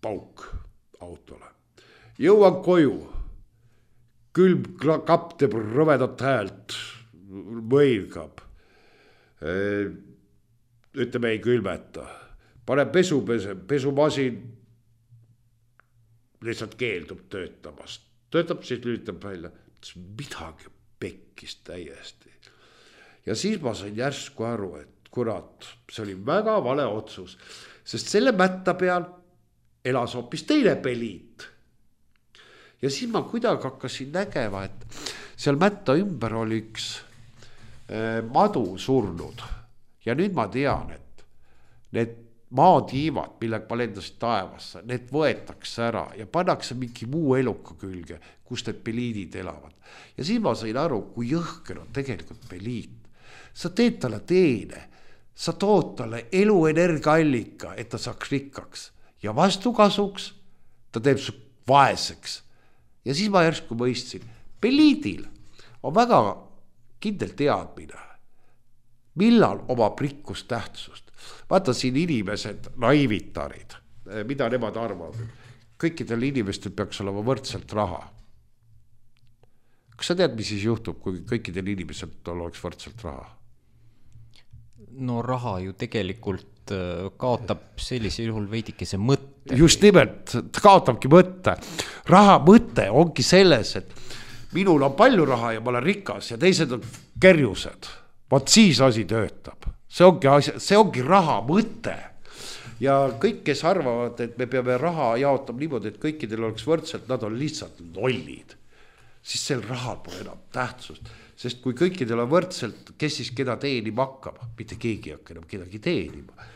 pauk autole. Jõuan koju, külm kapp teeb rõvedat häält, mõilgab. Ütleme ei külmeta, pane pesumasin lihtsalt keeldub töötamast. Töötab, siis lülitab välja. Midagi pekkis täiesti. Ja siis ma sain järsku aru, et kurat, see oli väga vale otsus. Sest selle mätta peal elas hoopis teine peliit. Ja siis ma kuidagi hakkasin nägema, et seal mätta ümber oli üks madu surnud. Ja nüüd ma tean, et need maatiivad, millega ma lendasin taevasse, need võetakse ära ja pannakse mingi muu eluka külge, kus need peliidid elavad. Ja siis ma sain aru, kui jõhker on tegelikult peliit. Sa teed talle teene, sa tood talle eluenergiaallika, et ta saaks rikkaks. Ja vastukasuks ta teeb su vaeseks. Ja siis ma järsku mõistsin, peliidil on väga kindel teadmine, millal omab rikkust tähtsust. Vaata siin inimesed, naivitarid, mida nemad arvavad. Kõikidel inimestel peaks olema võrdselt raha. Kas sa tead, mis siis juhtub, kui kõikidel inimesed oleks võrdselt raha? No raha ju tegelikult kaotab sellisel juhul veidikese mõtte. Just nimelt, ta kaotabki mõtte. Raha mõte ongi selles, et minul on palju raha ja ma olen rikas ja teised on kerjused. Vaat siis asi töötab. See ongi raha mõte. Ja kõik, kes arvavad, et me peame raha jaotama niimoodi, et kõikidel oleks võrdselt, nad on lihtsalt lollid. Siis sel rahal pole enam tähtsust. Sest kui kõikidel on võrdselt, kes siis keda teenima hakkab? Mitte keegi hakka enam kedagi teenima.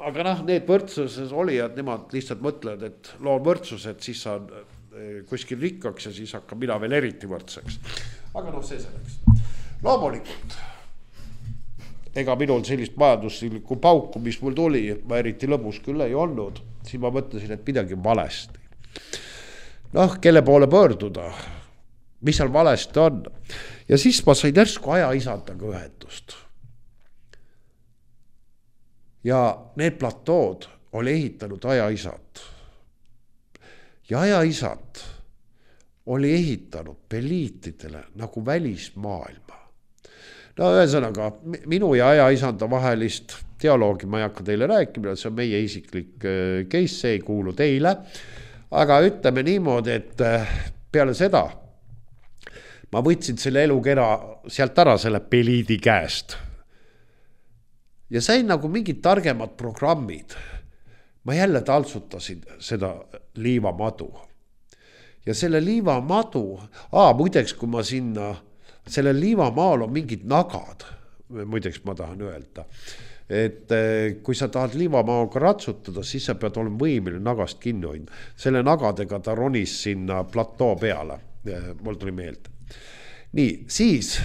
Aga need võrdsuses olijad, nemad lihtsalt mõtlevad, et loon võrdsused, siis saan kuskil rikkaks ja siis hakkab mina veel eriti võrdseks. Aga see selleks. Loomulikult, ega minul sellist majanduslikku pauku, mis mul tuli, ma eriti lõbus küll ei olnud, siis ma mõtlesin, et midagi valesti. Kelle poole pöörduda, mis seal valesti on. Ja siis ma sain järsku ajaisandaga ühendust. Ja need platood oli ehitanud ajaisad. Ja ajaisad oli ehitanud peliitidele nagu välismaailma. Ühesõnaga, minu ja ajaisanda vahelist dialoogi ma ei hakka teile rääkima, see on meie isiklik case, see ei kuulu teile. Aga ütleme niimoodi, et peale seda ma võtsin selle elukera sealt ära selle peliidi käest. Ja sain nagu mingid targemad programmid. Ma jälle taltsutasin seda liivamadu. Ja selle liivamadu, muideks kui ma sinna, selle liivamaal on mingid nagad, muideks ma tahan öelda, et kui sa tahad liivamaaga ratsutada, siis sa pead olema võimeline nagast kinni hoidma. Selle nagadega ta ronis sinna platoo peale, mul tuli meelde. Nii, siis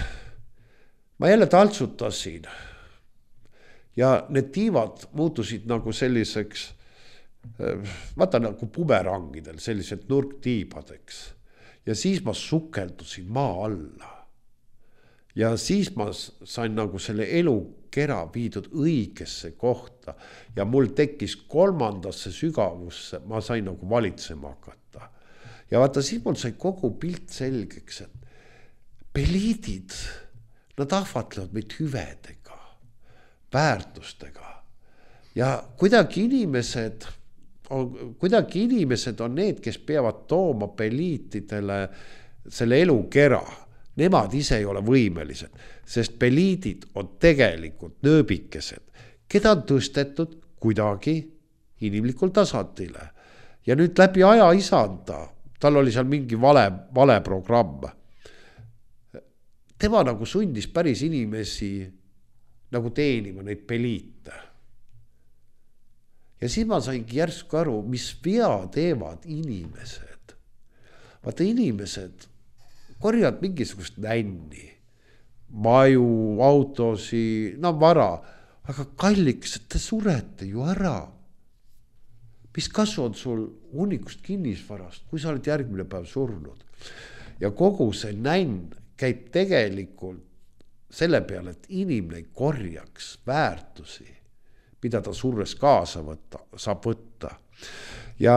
ma jälle taltsutasin ja need tiivad muutusid nagu selliseks, vaata nagu bumerangidel, sellised nurktiibadeks. Ja siis ma sukeldusin maa alla. Ja siis ma sain nagu selle elukera viidud õigesse kohta ja mul tekkis 3. sügavusse, ma sain nagu valitsema hakata. Ja vaata, siis mul sai kogu pilt selgeks, et peliidid, nad ahvatlevad meid hüvedega, väärtustega ja kuidagi inimesed kuidagi inimesed on need, kes peavad tooma peliitidele selle elukera. Nemad ise ei ole võimelised, sest peliidid on tegelikult nööbikesed, keda on tõstetud kuidagi inimlikul tasandile. Ja nüüd läbi aja isanda, tal oli seal mingi vale programm. Tema nagu sundis päris inimesi nagu teenima neid peliite. Ja siis ma saingi järsku aru, mis vea teevad inimesed. Vaata, inimesed korjavad mingisugust nänni, maju, autosi, vara, aga kalliks, et te surete ju ära. Mis kasu on sul hunnikust kinnisvarast, kui sa oled järgmine päev surnud? Ja kogu see nänn käib tegelikult selle peale, et inimene ei korjaks väärtusi, mida ta surres kaasa saab võtta. Ja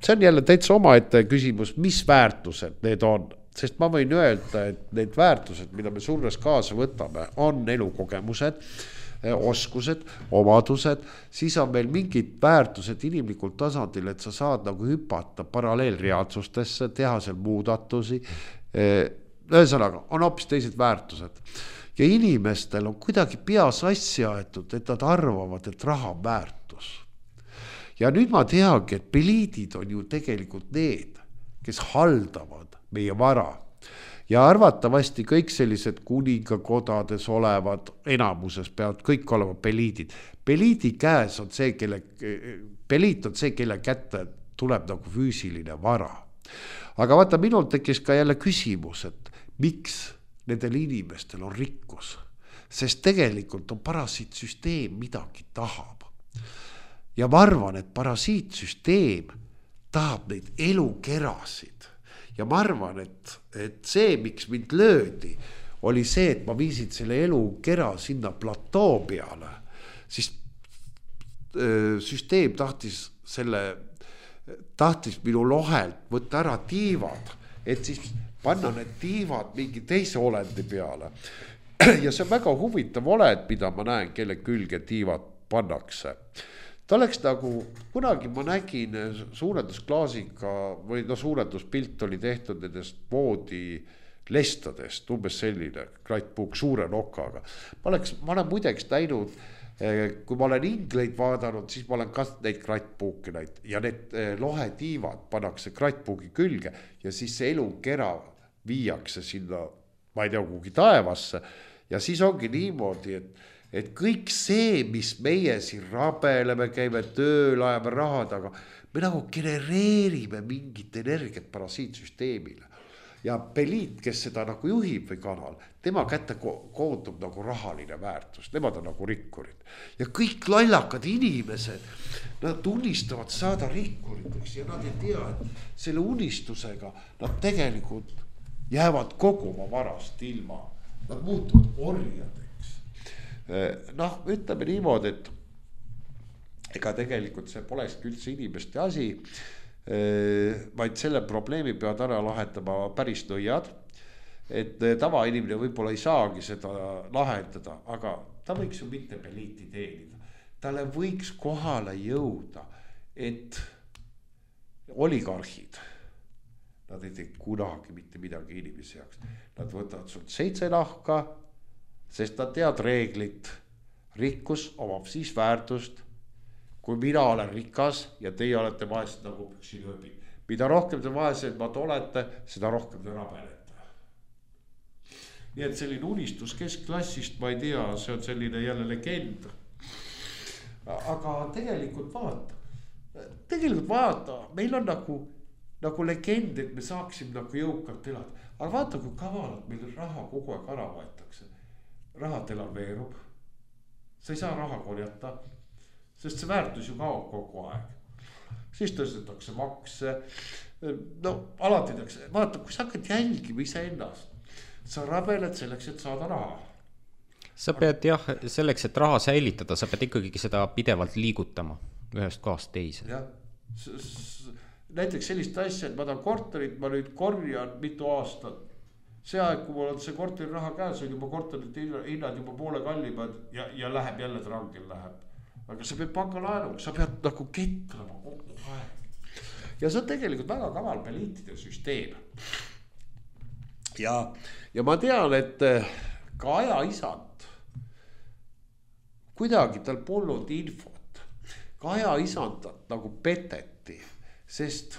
see on jälle täitsa omaette küsimus, mis väärtused need on. Sest ma võin öelda, et need väärtused, mida me surres kaasa võtame, on elukogemused, oskused, omadused, siis on meil mingid väärtused inimlikul tasandil, et sa saad nagu hüpata paralleelreaalsustesse, teha seal muudatusi. Ühesõnaga, on hoopis teised väärtused. Ja inimestel on kuidagi peas asja aetud, et nad arvavad, et raha on väärtus. Ja nüüd ma teagi, et peliidid on ju tegelikult need, kes haldavad meie vara. Ja arvatavasti kõik sellised kuningakodades olevad enamuses peavad kõik olema peliidid. Peliidi käes on see, peliit on see, kelle kätte tuleb nagu füüsiline vara. Aga vaata, minul tekkis ka jälle küsimus, et miks nendel inimestel on rikkus? Sest tegelikult on parasiitsüsteem midagi tahab. Ja ma arvan, et parasiitsüsteem tahab neid elukerasid. Ja ma arvan, et see, miks mind löödi, oli see, et ma viisin selle elukera sinna platoo peale. Siis süsteem tahtis minu lohelt võtta ära tiivad, et siis panna need tiivad mingi teise olendi peale. Ja see on väga huvitav olend, mida ma näen, kelle külge tiivad pannakse. Ta oleks nagu, kunagi ma nägin suurendusklaasiga või suurenduspilt oli tehtud nendest voodi lestadest, umbes selline krattpuuk suure nokaga. Ma olen muideks näinud, kui ma olen ingleid vaadanud, siis ma olen ka neid krattpuuki näinud ja need lohetiivad pannakse krattpuugi külge ja siis see elukera viiakse sinna, ma ei tea, kuhugi taevasse ja siis ongi niimoodi, et kõik see, mis meie siin rabeleme, käime tööl, ajame rahad, aga me nagu genereerime mingit energiat parasiitsüsteemile. Ja peliit, kes seda nagu juhib või kanal, tema kätte koondub nagu rahaline väärtus, nemad on nagu rikkurid. Ja kõik lallakad inimesed, nad unistavad saada rikkuriteks ja nad ei tea, et selle unistusega nad tegelikult jäävad kogu oma varast ilma. Nad muutuvad orjadeks. Ütleme niimoodi, et ega tegelikult see polekski üldse inimeste asi, vaid selle probleemi peavad ära lahendama päris nõiad, et tavainimene võib-olla ei saagi seda lahendada, aga ta võiks ju mitte peliiti teenida. Talle võiks kohale jõuda, et oligarhid, nad ei tee kunagi mitte midagi inimese jaoks. Nad võtavad sult 7 nahka, sest nad tead reeglit. Rikkus omab siis väärtust, kui mina olen rikas ja teie olete vaesed nagu püksilööbid. Mida rohkem te vaesemad olete, seda rohkem te rabelete. Nii et selline unistus keskklassist, ma ei tea, see on selline jälle legend. Aga tegelikult vaata, meil on nagu legend, et me saaksime nagu jõukalt elada. Aga vaata, kui kavalalt meil raha kogu aeg ära võetakse. Raha devalveerub, sa ei saa raha korjata, sest see väärtus ju kaob kogu aeg. Siis tõstetakse makse, alati tehakse, vaata, kui sa hakkad jälgima ise ennast, sa rabeled selleks, et saada raha. Sa pead selleks, et raha säilitada, sa pead ikkagi seda pidevalt liigutama ühest kohast teise. Näiteks sellist asja, et ma tahan korterit, ma nüüd korjan mitu aastat. See aeg, kui mul on see korteri raha käes, on juba korterite hinnad juba poole kallimad ja läheb jälle trangil läheb. aga sa pead pangalaenuga, sa pead nagu ketrama kogu aeg. Ja see on tegelikult väga kaval poliitide süsteem. Ja ma tean, et ka ajaisand, kuidagi tal polnud infot, ka ajaisand nagu peteti, sest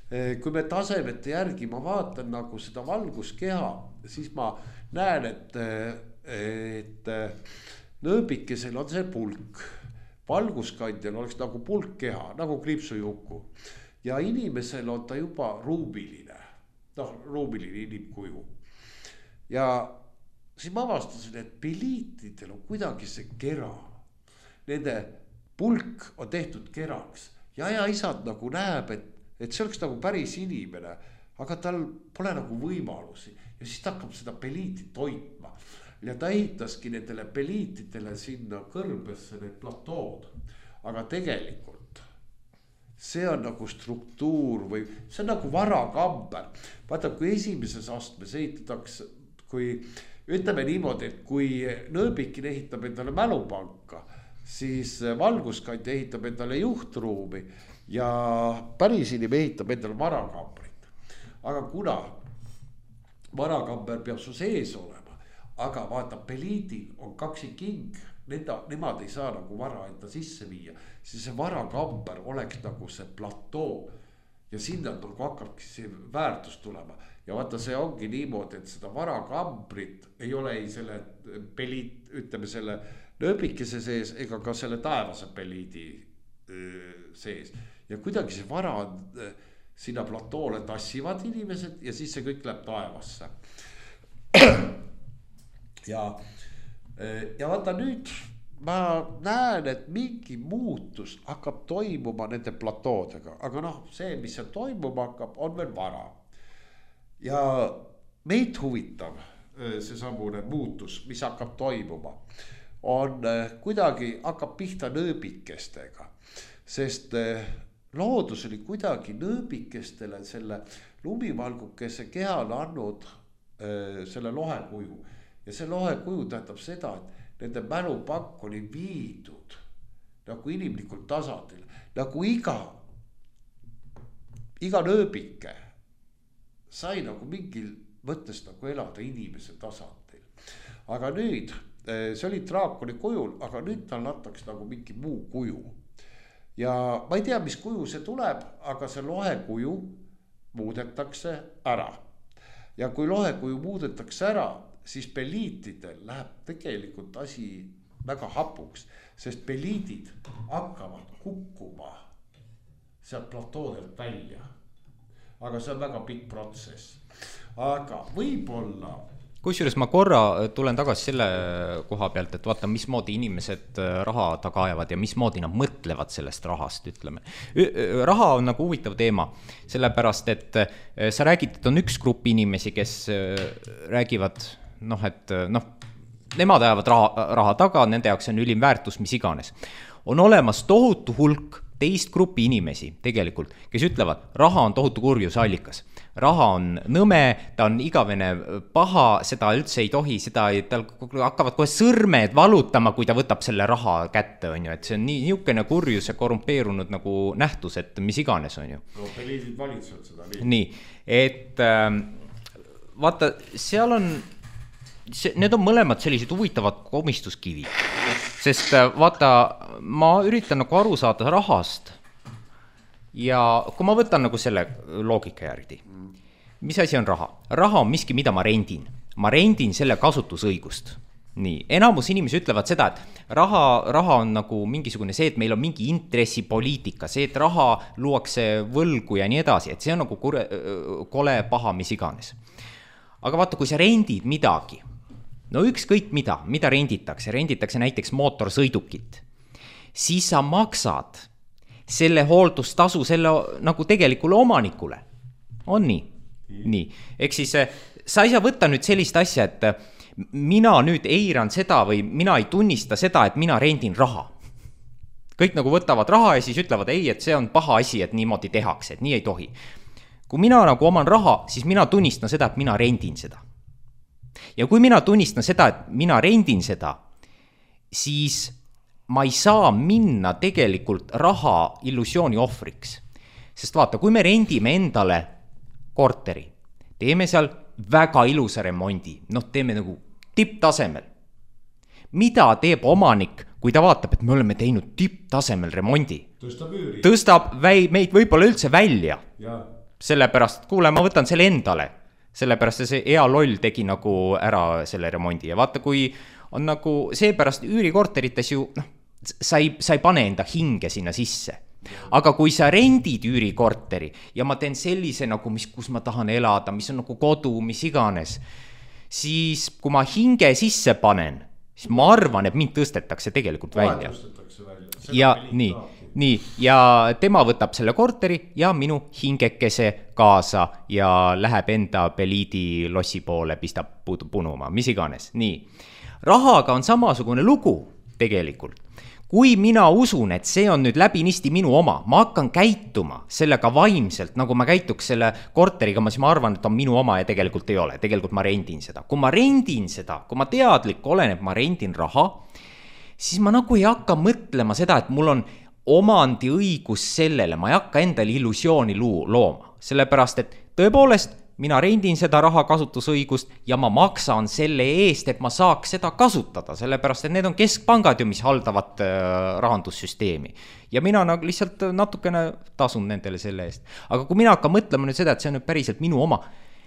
kui me tasemete järgi ma vaatan nagu seda valguskeha, siis ma näen, et nööbikesel on see pulk, valguskandjal oleks nagu pulkkeha, nagu kriipsujuku. Ja inimesel on ta juba ruumiline, ruumiline inimkuju. Ja siis ma avastasin, et piliitidel on kuidagi see kera. Nende pulk on tehtud keraks ja ajaisand nagu näeb, et see oleks nagu päris inimene, aga tal pole nagu võimalusi. Ja siis ta hakkab seda peliitit hoidma. Ja ta ehitaski nendele peliitidele sinna kõrbesse need platood. Aga tegelikult see on nagu struktuur või see on nagu varakamber. Vaata, kui esimeses astmes ehitatakse, kui ütleme niimoodi, et kui nööbikin ehitab endale mälupanka, siis valguskandja ehitab endale juhtruumi ja päris inimene ehitab endale varakambrit. Aga kuna varakamber peab su sees olema, aga vaata, peliidil on kaksiking, nemad ei saa nagu vara enda sisse viia, siis see varakamber oleks nagu see platoo ja sinna nagu hakkabki see väärtus tulema. Ja vaata, see ongi niimoodi, et seda varakambrit ei ole ei selle peliit, ütleme selle nööbikese sees ega ka selle taevase peliidi sees. Ja kuidagi see vara sinna platoole tassivad inimesed ja siis see kõik läheb taevasse. Ja vaata nüüd ma näen, et mingi muutus hakkab toimuma nende platoodega, aga see, mis seal toimuma hakkab, on veel vara. Ja meid huvitab see samune muutus, mis hakkab toimuma, on kuidagi hakkab pihta nööbikestega, sest loodus oli kuidagi nööbikestele selle lumivalgukese kehal andnud selle lohekuju. Ja see lohekuju tähendab seda, et nende mälupank oli viidud nagu inimlikul tasandil, nagu iga nööbike sai nagu mingil mõttes nagu elada inimese tasandil. Aga nüüd, see oli draakoni kujul, aga nüüd tal antakse nagu mingi muu kuju. Ja ma ei tea, mis kuju see tuleb, aga see lohekuju muudetakse ära. Ja kui lohekuju muudetakse ära, siis peliitidel läheb tegelikult asi väga hapuks, sest peliidid hakkavad kukkuma sealt platoodelt välja. Aga see on väga pikk protsess. Aga võib-olla... Kusjuures ma korra tulen tagasi selle koha pealt, et vaata, mismoodi inimesed raha taga ajavad ja mismoodi nad mõtlevad sellest rahast, ütleme. Raha on nagu huvitav teema, sellepärast, et sa räägid, et on üks grupp inimesi, kes räägivad, nemad ajavad raha taga, nende jaoks on ülim väärtus, mis iganes. On olemas tohutu hulk teist grupi inimesi tegelikult, kes ütlevad, raha on tohutu kurjuse allikas. Raha on nõme, ta on igavene paha, seda üldse ei tohi, tal hakkavad kohe sõrmed valutama, kui ta võtab selle raha kätte, on ju, et see on niisugune kurjus ja korrumpeerunud nagu nähtus, et mis iganes on ju. No, peliidid valitsevad seda nii. Nii, et vaata, seal on, need on mõlemad sellised huvitavad komistuskivid, sest vaata, ma üritan nagu aru saada rahast ja kui ma võtan nagu selle loogika järgi, mis asi on raha? Raha on miski, mida ma rendin selle kasutusõigust. Nii, enamus inimesi ütlevad seda, et raha on nagu mingisugune see, et meil on mingi intressipoliitika, see, et raha luuakse võlgu ja nii edasi, et see on nagu kole paha, mis iganes. Aga vaata, kui sa rendid midagi, no ükskõik mida renditakse näiteks mootorsõidukit, siis sa maksad selle hooldustasu selle nagu tegelikule omanikule. On nii? Nii. Ehk siis sa ei saa võtta nüüd sellist asja, et mina nüüd eiran seda või mina ei tunnista seda, et mina rendin raha. Kõik nagu võtavad raha ja siis ütlevad, ei, et see on paha asi, et niimoodi tehakse, et nii ei tohi. Kui mina nagu oman raha, siis mina tunnistan seda, et mina rendin seda. Ja kui mina tunnistan seda, et mina rendin seda, siis ma ei saa minna tegelikult raha illusiooni ohvriks. Sest vaata, kui me rendime endale korteri, teeme seal väga ilusa remondi, teeme nagu tipptasemel. Mida teeb omanik, kui ta vaatab, et me oleme teinud tipptasemel remondi? Tõstab meid võib-olla üldse välja. Sellepärast, kuule, ma võtan selle endale. Sellepärast see hea loll tegi nagu ära selle remondi. Ja vaata, kui on nagu seepärast üürikorterites ju, sa ei pane enda hinge sinna sisse. Aga kui sa rendid üürikorteri ja ma teen sellise nagu, kus ma tahan elada, mis on nagu kodu, mis iganes, siis kui ma hinge sisse panen, siis ma arvan, et mind tõstetakse tegelikult välja. Ja nii, ja tema võtab selle korteri ja minu hingekese kaasa ja läheb enda Beliidi lossi poole, pistab punuma, mis iganes. Nii, rahaga on samasugune lugu tegelikult. Kui mina usun, et see on nüüd läbinisti minu oma, ma hakkan käituma sellega vaimselt, nagu ma käituks selle korteriga, siis ma arvan, et on minu oma ja tegelikult ei ole. Tegelikult ma rendin seda. Kui ma rendin seda, kui ma teadlik olen, et ma rendin raha, siis ma nagu ei hakka mõtlema seda, et mul on omandi õigus sellele, ma ei hakka endale illusiooni looma. Sellepärast, et tõepoolest, mina rendin seda raha kasutusõigust ja ma maksan selle eest, et ma saaks seda kasutada, sellepärast, et need on keskpangad ju, mis haldavad rahandussüsteemi. Ja mina nagu lihtsalt natukene tasun nendele selle eest. Aga kui mina hakkan mõtlema nüüd seda, et see on nüüd päriselt minu oma,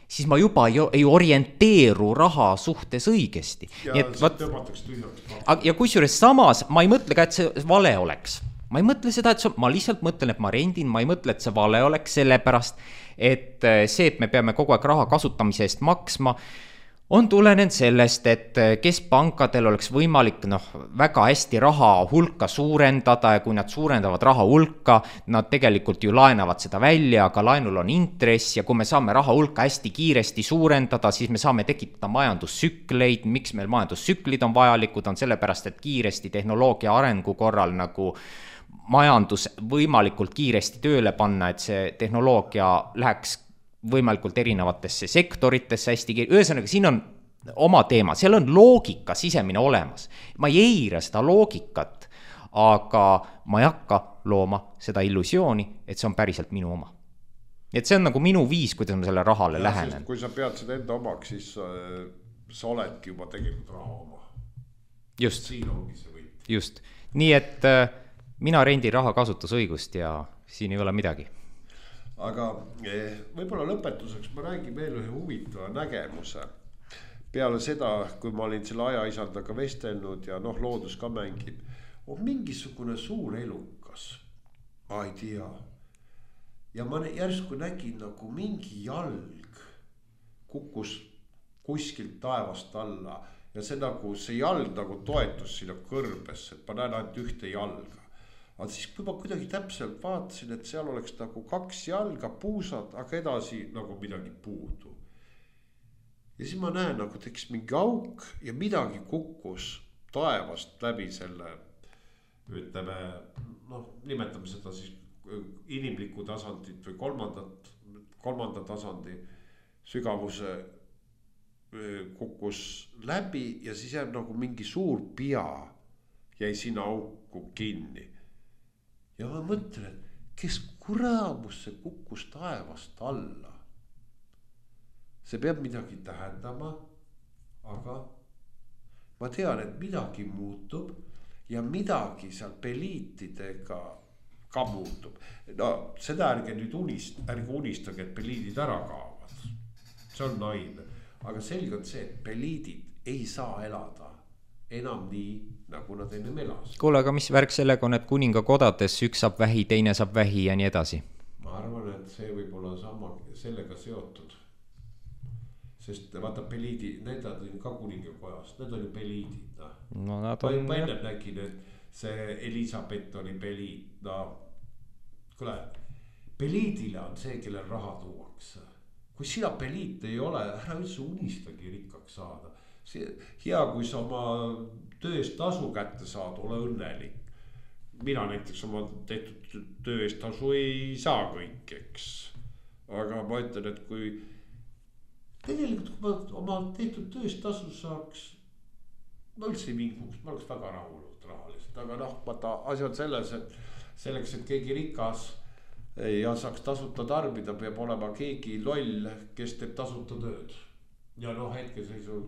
siis ma juba ei orienteeru raha suhtes õigesti. Ja kusjuures samas ma ei mõtle ka, et see vale oleks. Ma ei mõtle seda, et ma lihtsalt mõtlen, et ma rendin, ma ei mõtle, et see vale oleks, sellepärast, et see, et me peame kogu aeg raha kasutamise eest maksma, on tulenenud sellest, et keskpankadel oleks võimalik väga hästi raha hulka suurendada ja kui nad suurendavad raha hulka, nad tegelikult ju laenavad seda välja, aga laenul on intress ja kui me saame raha hulka hästi kiiresti suurendada, siis me saame tekitada majandussükleid. Miks meil majandussüklid on vajalikud, on sellepärast, et kiiresti tehnoloogia arengu korral nagu majandus võimalikult kiiresti tööle panna, et see tehnoloogia läheks võimalikult erinevatesse sektoritesse hästi kiiresti. Ühesõnaga, siin on oma teema, seal on loogika sisemine olemas. Ma ei eira seda loogikat, aga ma ei hakka looma seda illusiooni, et see on päriselt minu oma. Et see on nagu minu viis, kuidas ma selle rahale lähenen. Kui sa pead seda enda omaks, siis sa oledki juba tegelikult raha oma. Just. Siin ongi see võit. Just. Nii et mina rendin raha kasutusõigust ja siin ei ole midagi. Aga võib-olla lõpetuseks ma räägin veel ühe huvitava nägemuse. Peale seda, kui ma olin selle ajaisandaga vestelnud ja loodus ka mängib, on mingisugune suur elukas. Ma ei tea. Ja ma järsku nägin nagu mingi jalg kukkus kuskilt taevast alla ja see jalg nagu toetus sinna kõrbesse, et ma näen ainult ühte jalga. Aga siis kui ma kuidagi täpselt vaatasin, et seal oleks nagu 2 jalga, puusad, aga edasi nagu midagi puudu. Ja siis ma näen, nagu tekkis mingi auk ja midagi kukkus taevast läbi selle, ütleme, nimetame seda siis inimlikku tasandit või kolmanda tasandi sügavuse kukkus läbi ja siis jääb nagu mingi suur pea jäi sinna auku kinni. Ja ma mõtlen, kes kuramus see kukkus taevast alla. See peab midagi tähendama, aga ma tean, et midagi muutub ja midagi seal peliitidega ka muutub. Seda ärge nüüd unistage, et peliidid ära kaovad. See on naine. Aga selge on see, et peliidid ei saa elada enam nii, nagu nad ennem elas. Kuule, aga mis värk sellega on, et kuninga kodades üks saab vähi, teine saab vähi ja nii edasi? Ma arvan, et see võib olla sama sellega seotud. Sest vaata peliidi, need on ka kuninga kojas, need on ju peliidid. No nad on... Ma ennem nägin, et see Elisabeth oli peliid. Kuule, peliidile on see, kellel raha tuuakse. Kui sina peliit ei ole, ära üldse unistagi rikkaks saada. Hea, kui sa oma töö eest tasu kätte saad, ole õnnelik. Mina näiteks oma tehtud töö eest tasu ei saa kõik, eks. Aga ma ütlen, et kui tegelikult kui ma oma tehtud töö eest tasu saaks, ma üldse ei vinguks, ma oleks väga rahulnud rahaliselt. oleksid, aga noh, vaata asi on selles, et selleks, et keegi rikas ja saaks tasuta tarbida, peab olema keegi loll, kes teeb tasuta tööd. Ja noh, hetkeseisul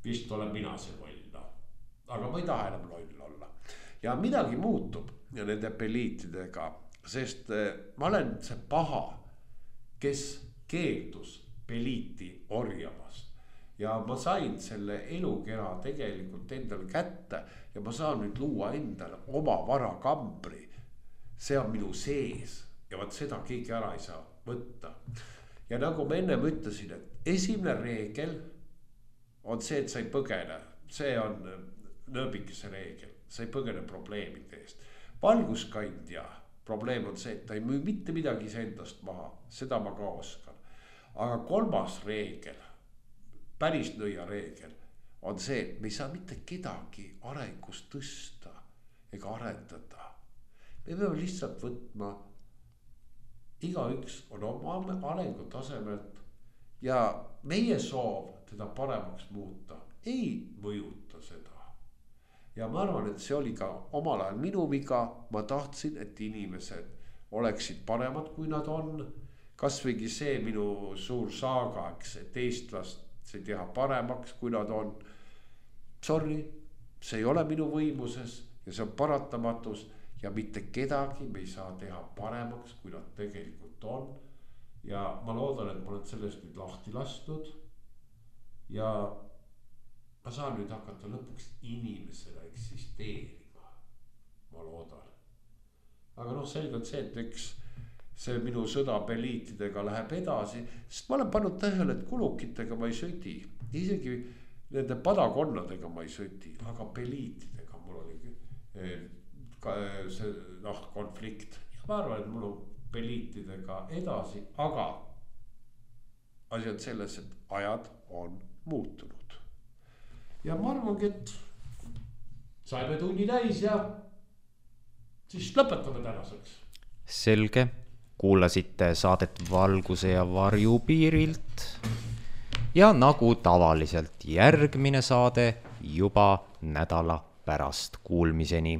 vist olen mina see loll, noh. Aga ma ei taha enam loll olla. Ja midagi muutub ja nende peliitidega, sest ma olen see paha, kes keeldus peliiti orjamast. Ja ma sain selle elukera tegelikult endale kätte ja ma saan nüüd luua endale oma varakambri. See on minu sees ja vaat seda keegi ära ei saa võtta. Ja nagu ma ennem ütlesin, et esimene reegel on see, et sa ei põgene. See on nööbikese reegel, sa ei põgene probleemide eest. Valguskandja probleem on see, et ta ei müü mitte midagi endast maha, seda ma ka oskan. Aga kolmas reegel, päris nõia reegel on see, et me ei saa mitte kedagi arengus tõsta ega arendada. Me peame lihtsalt võtma, igaüks on oma arengu tasemelt ja meie soov teda paremaks muuta ei mõjuta seda. Ja ma arvan, et see oli ka omal ajal minu viga, ma tahtsin, et inimesed oleksid paremad, kui nad on. Kas võigi see minu suur saaga, et eestlast see teha paremaks, kui nad on. Sorry, see ei ole minu võimuses ja see on paratamatus ja mitte kedagi me ei saa teha paremaks, kui nad tegelikult on. Ja ma loodan, et ma olen sellest nüüd lahti lastud ja ma saan nüüd hakata lõpuks inimesele eksisteerima, ma loodan. Aga noh, selgelt see, et eks see minu sõda peliitidega läheb edasi, sest ma olen pannud tähele, et kulukitega ma ei sõdi. Isegi nende padakonnadega ma ei sõdi, aga peliitidega mul oli see konflikt. Ja ma arvan, et mul on peliitidega edasi, aga asi on selles, et ajad on muutunud. Ja ma arvangi, et saime tunni täis ja siis lõpetame tänaseks. Selge. Kuulasite saadet Valguse ja varju piirilt ja nagu tavaliselt järgmine saade juba nädala pärast. Kuulmiseni.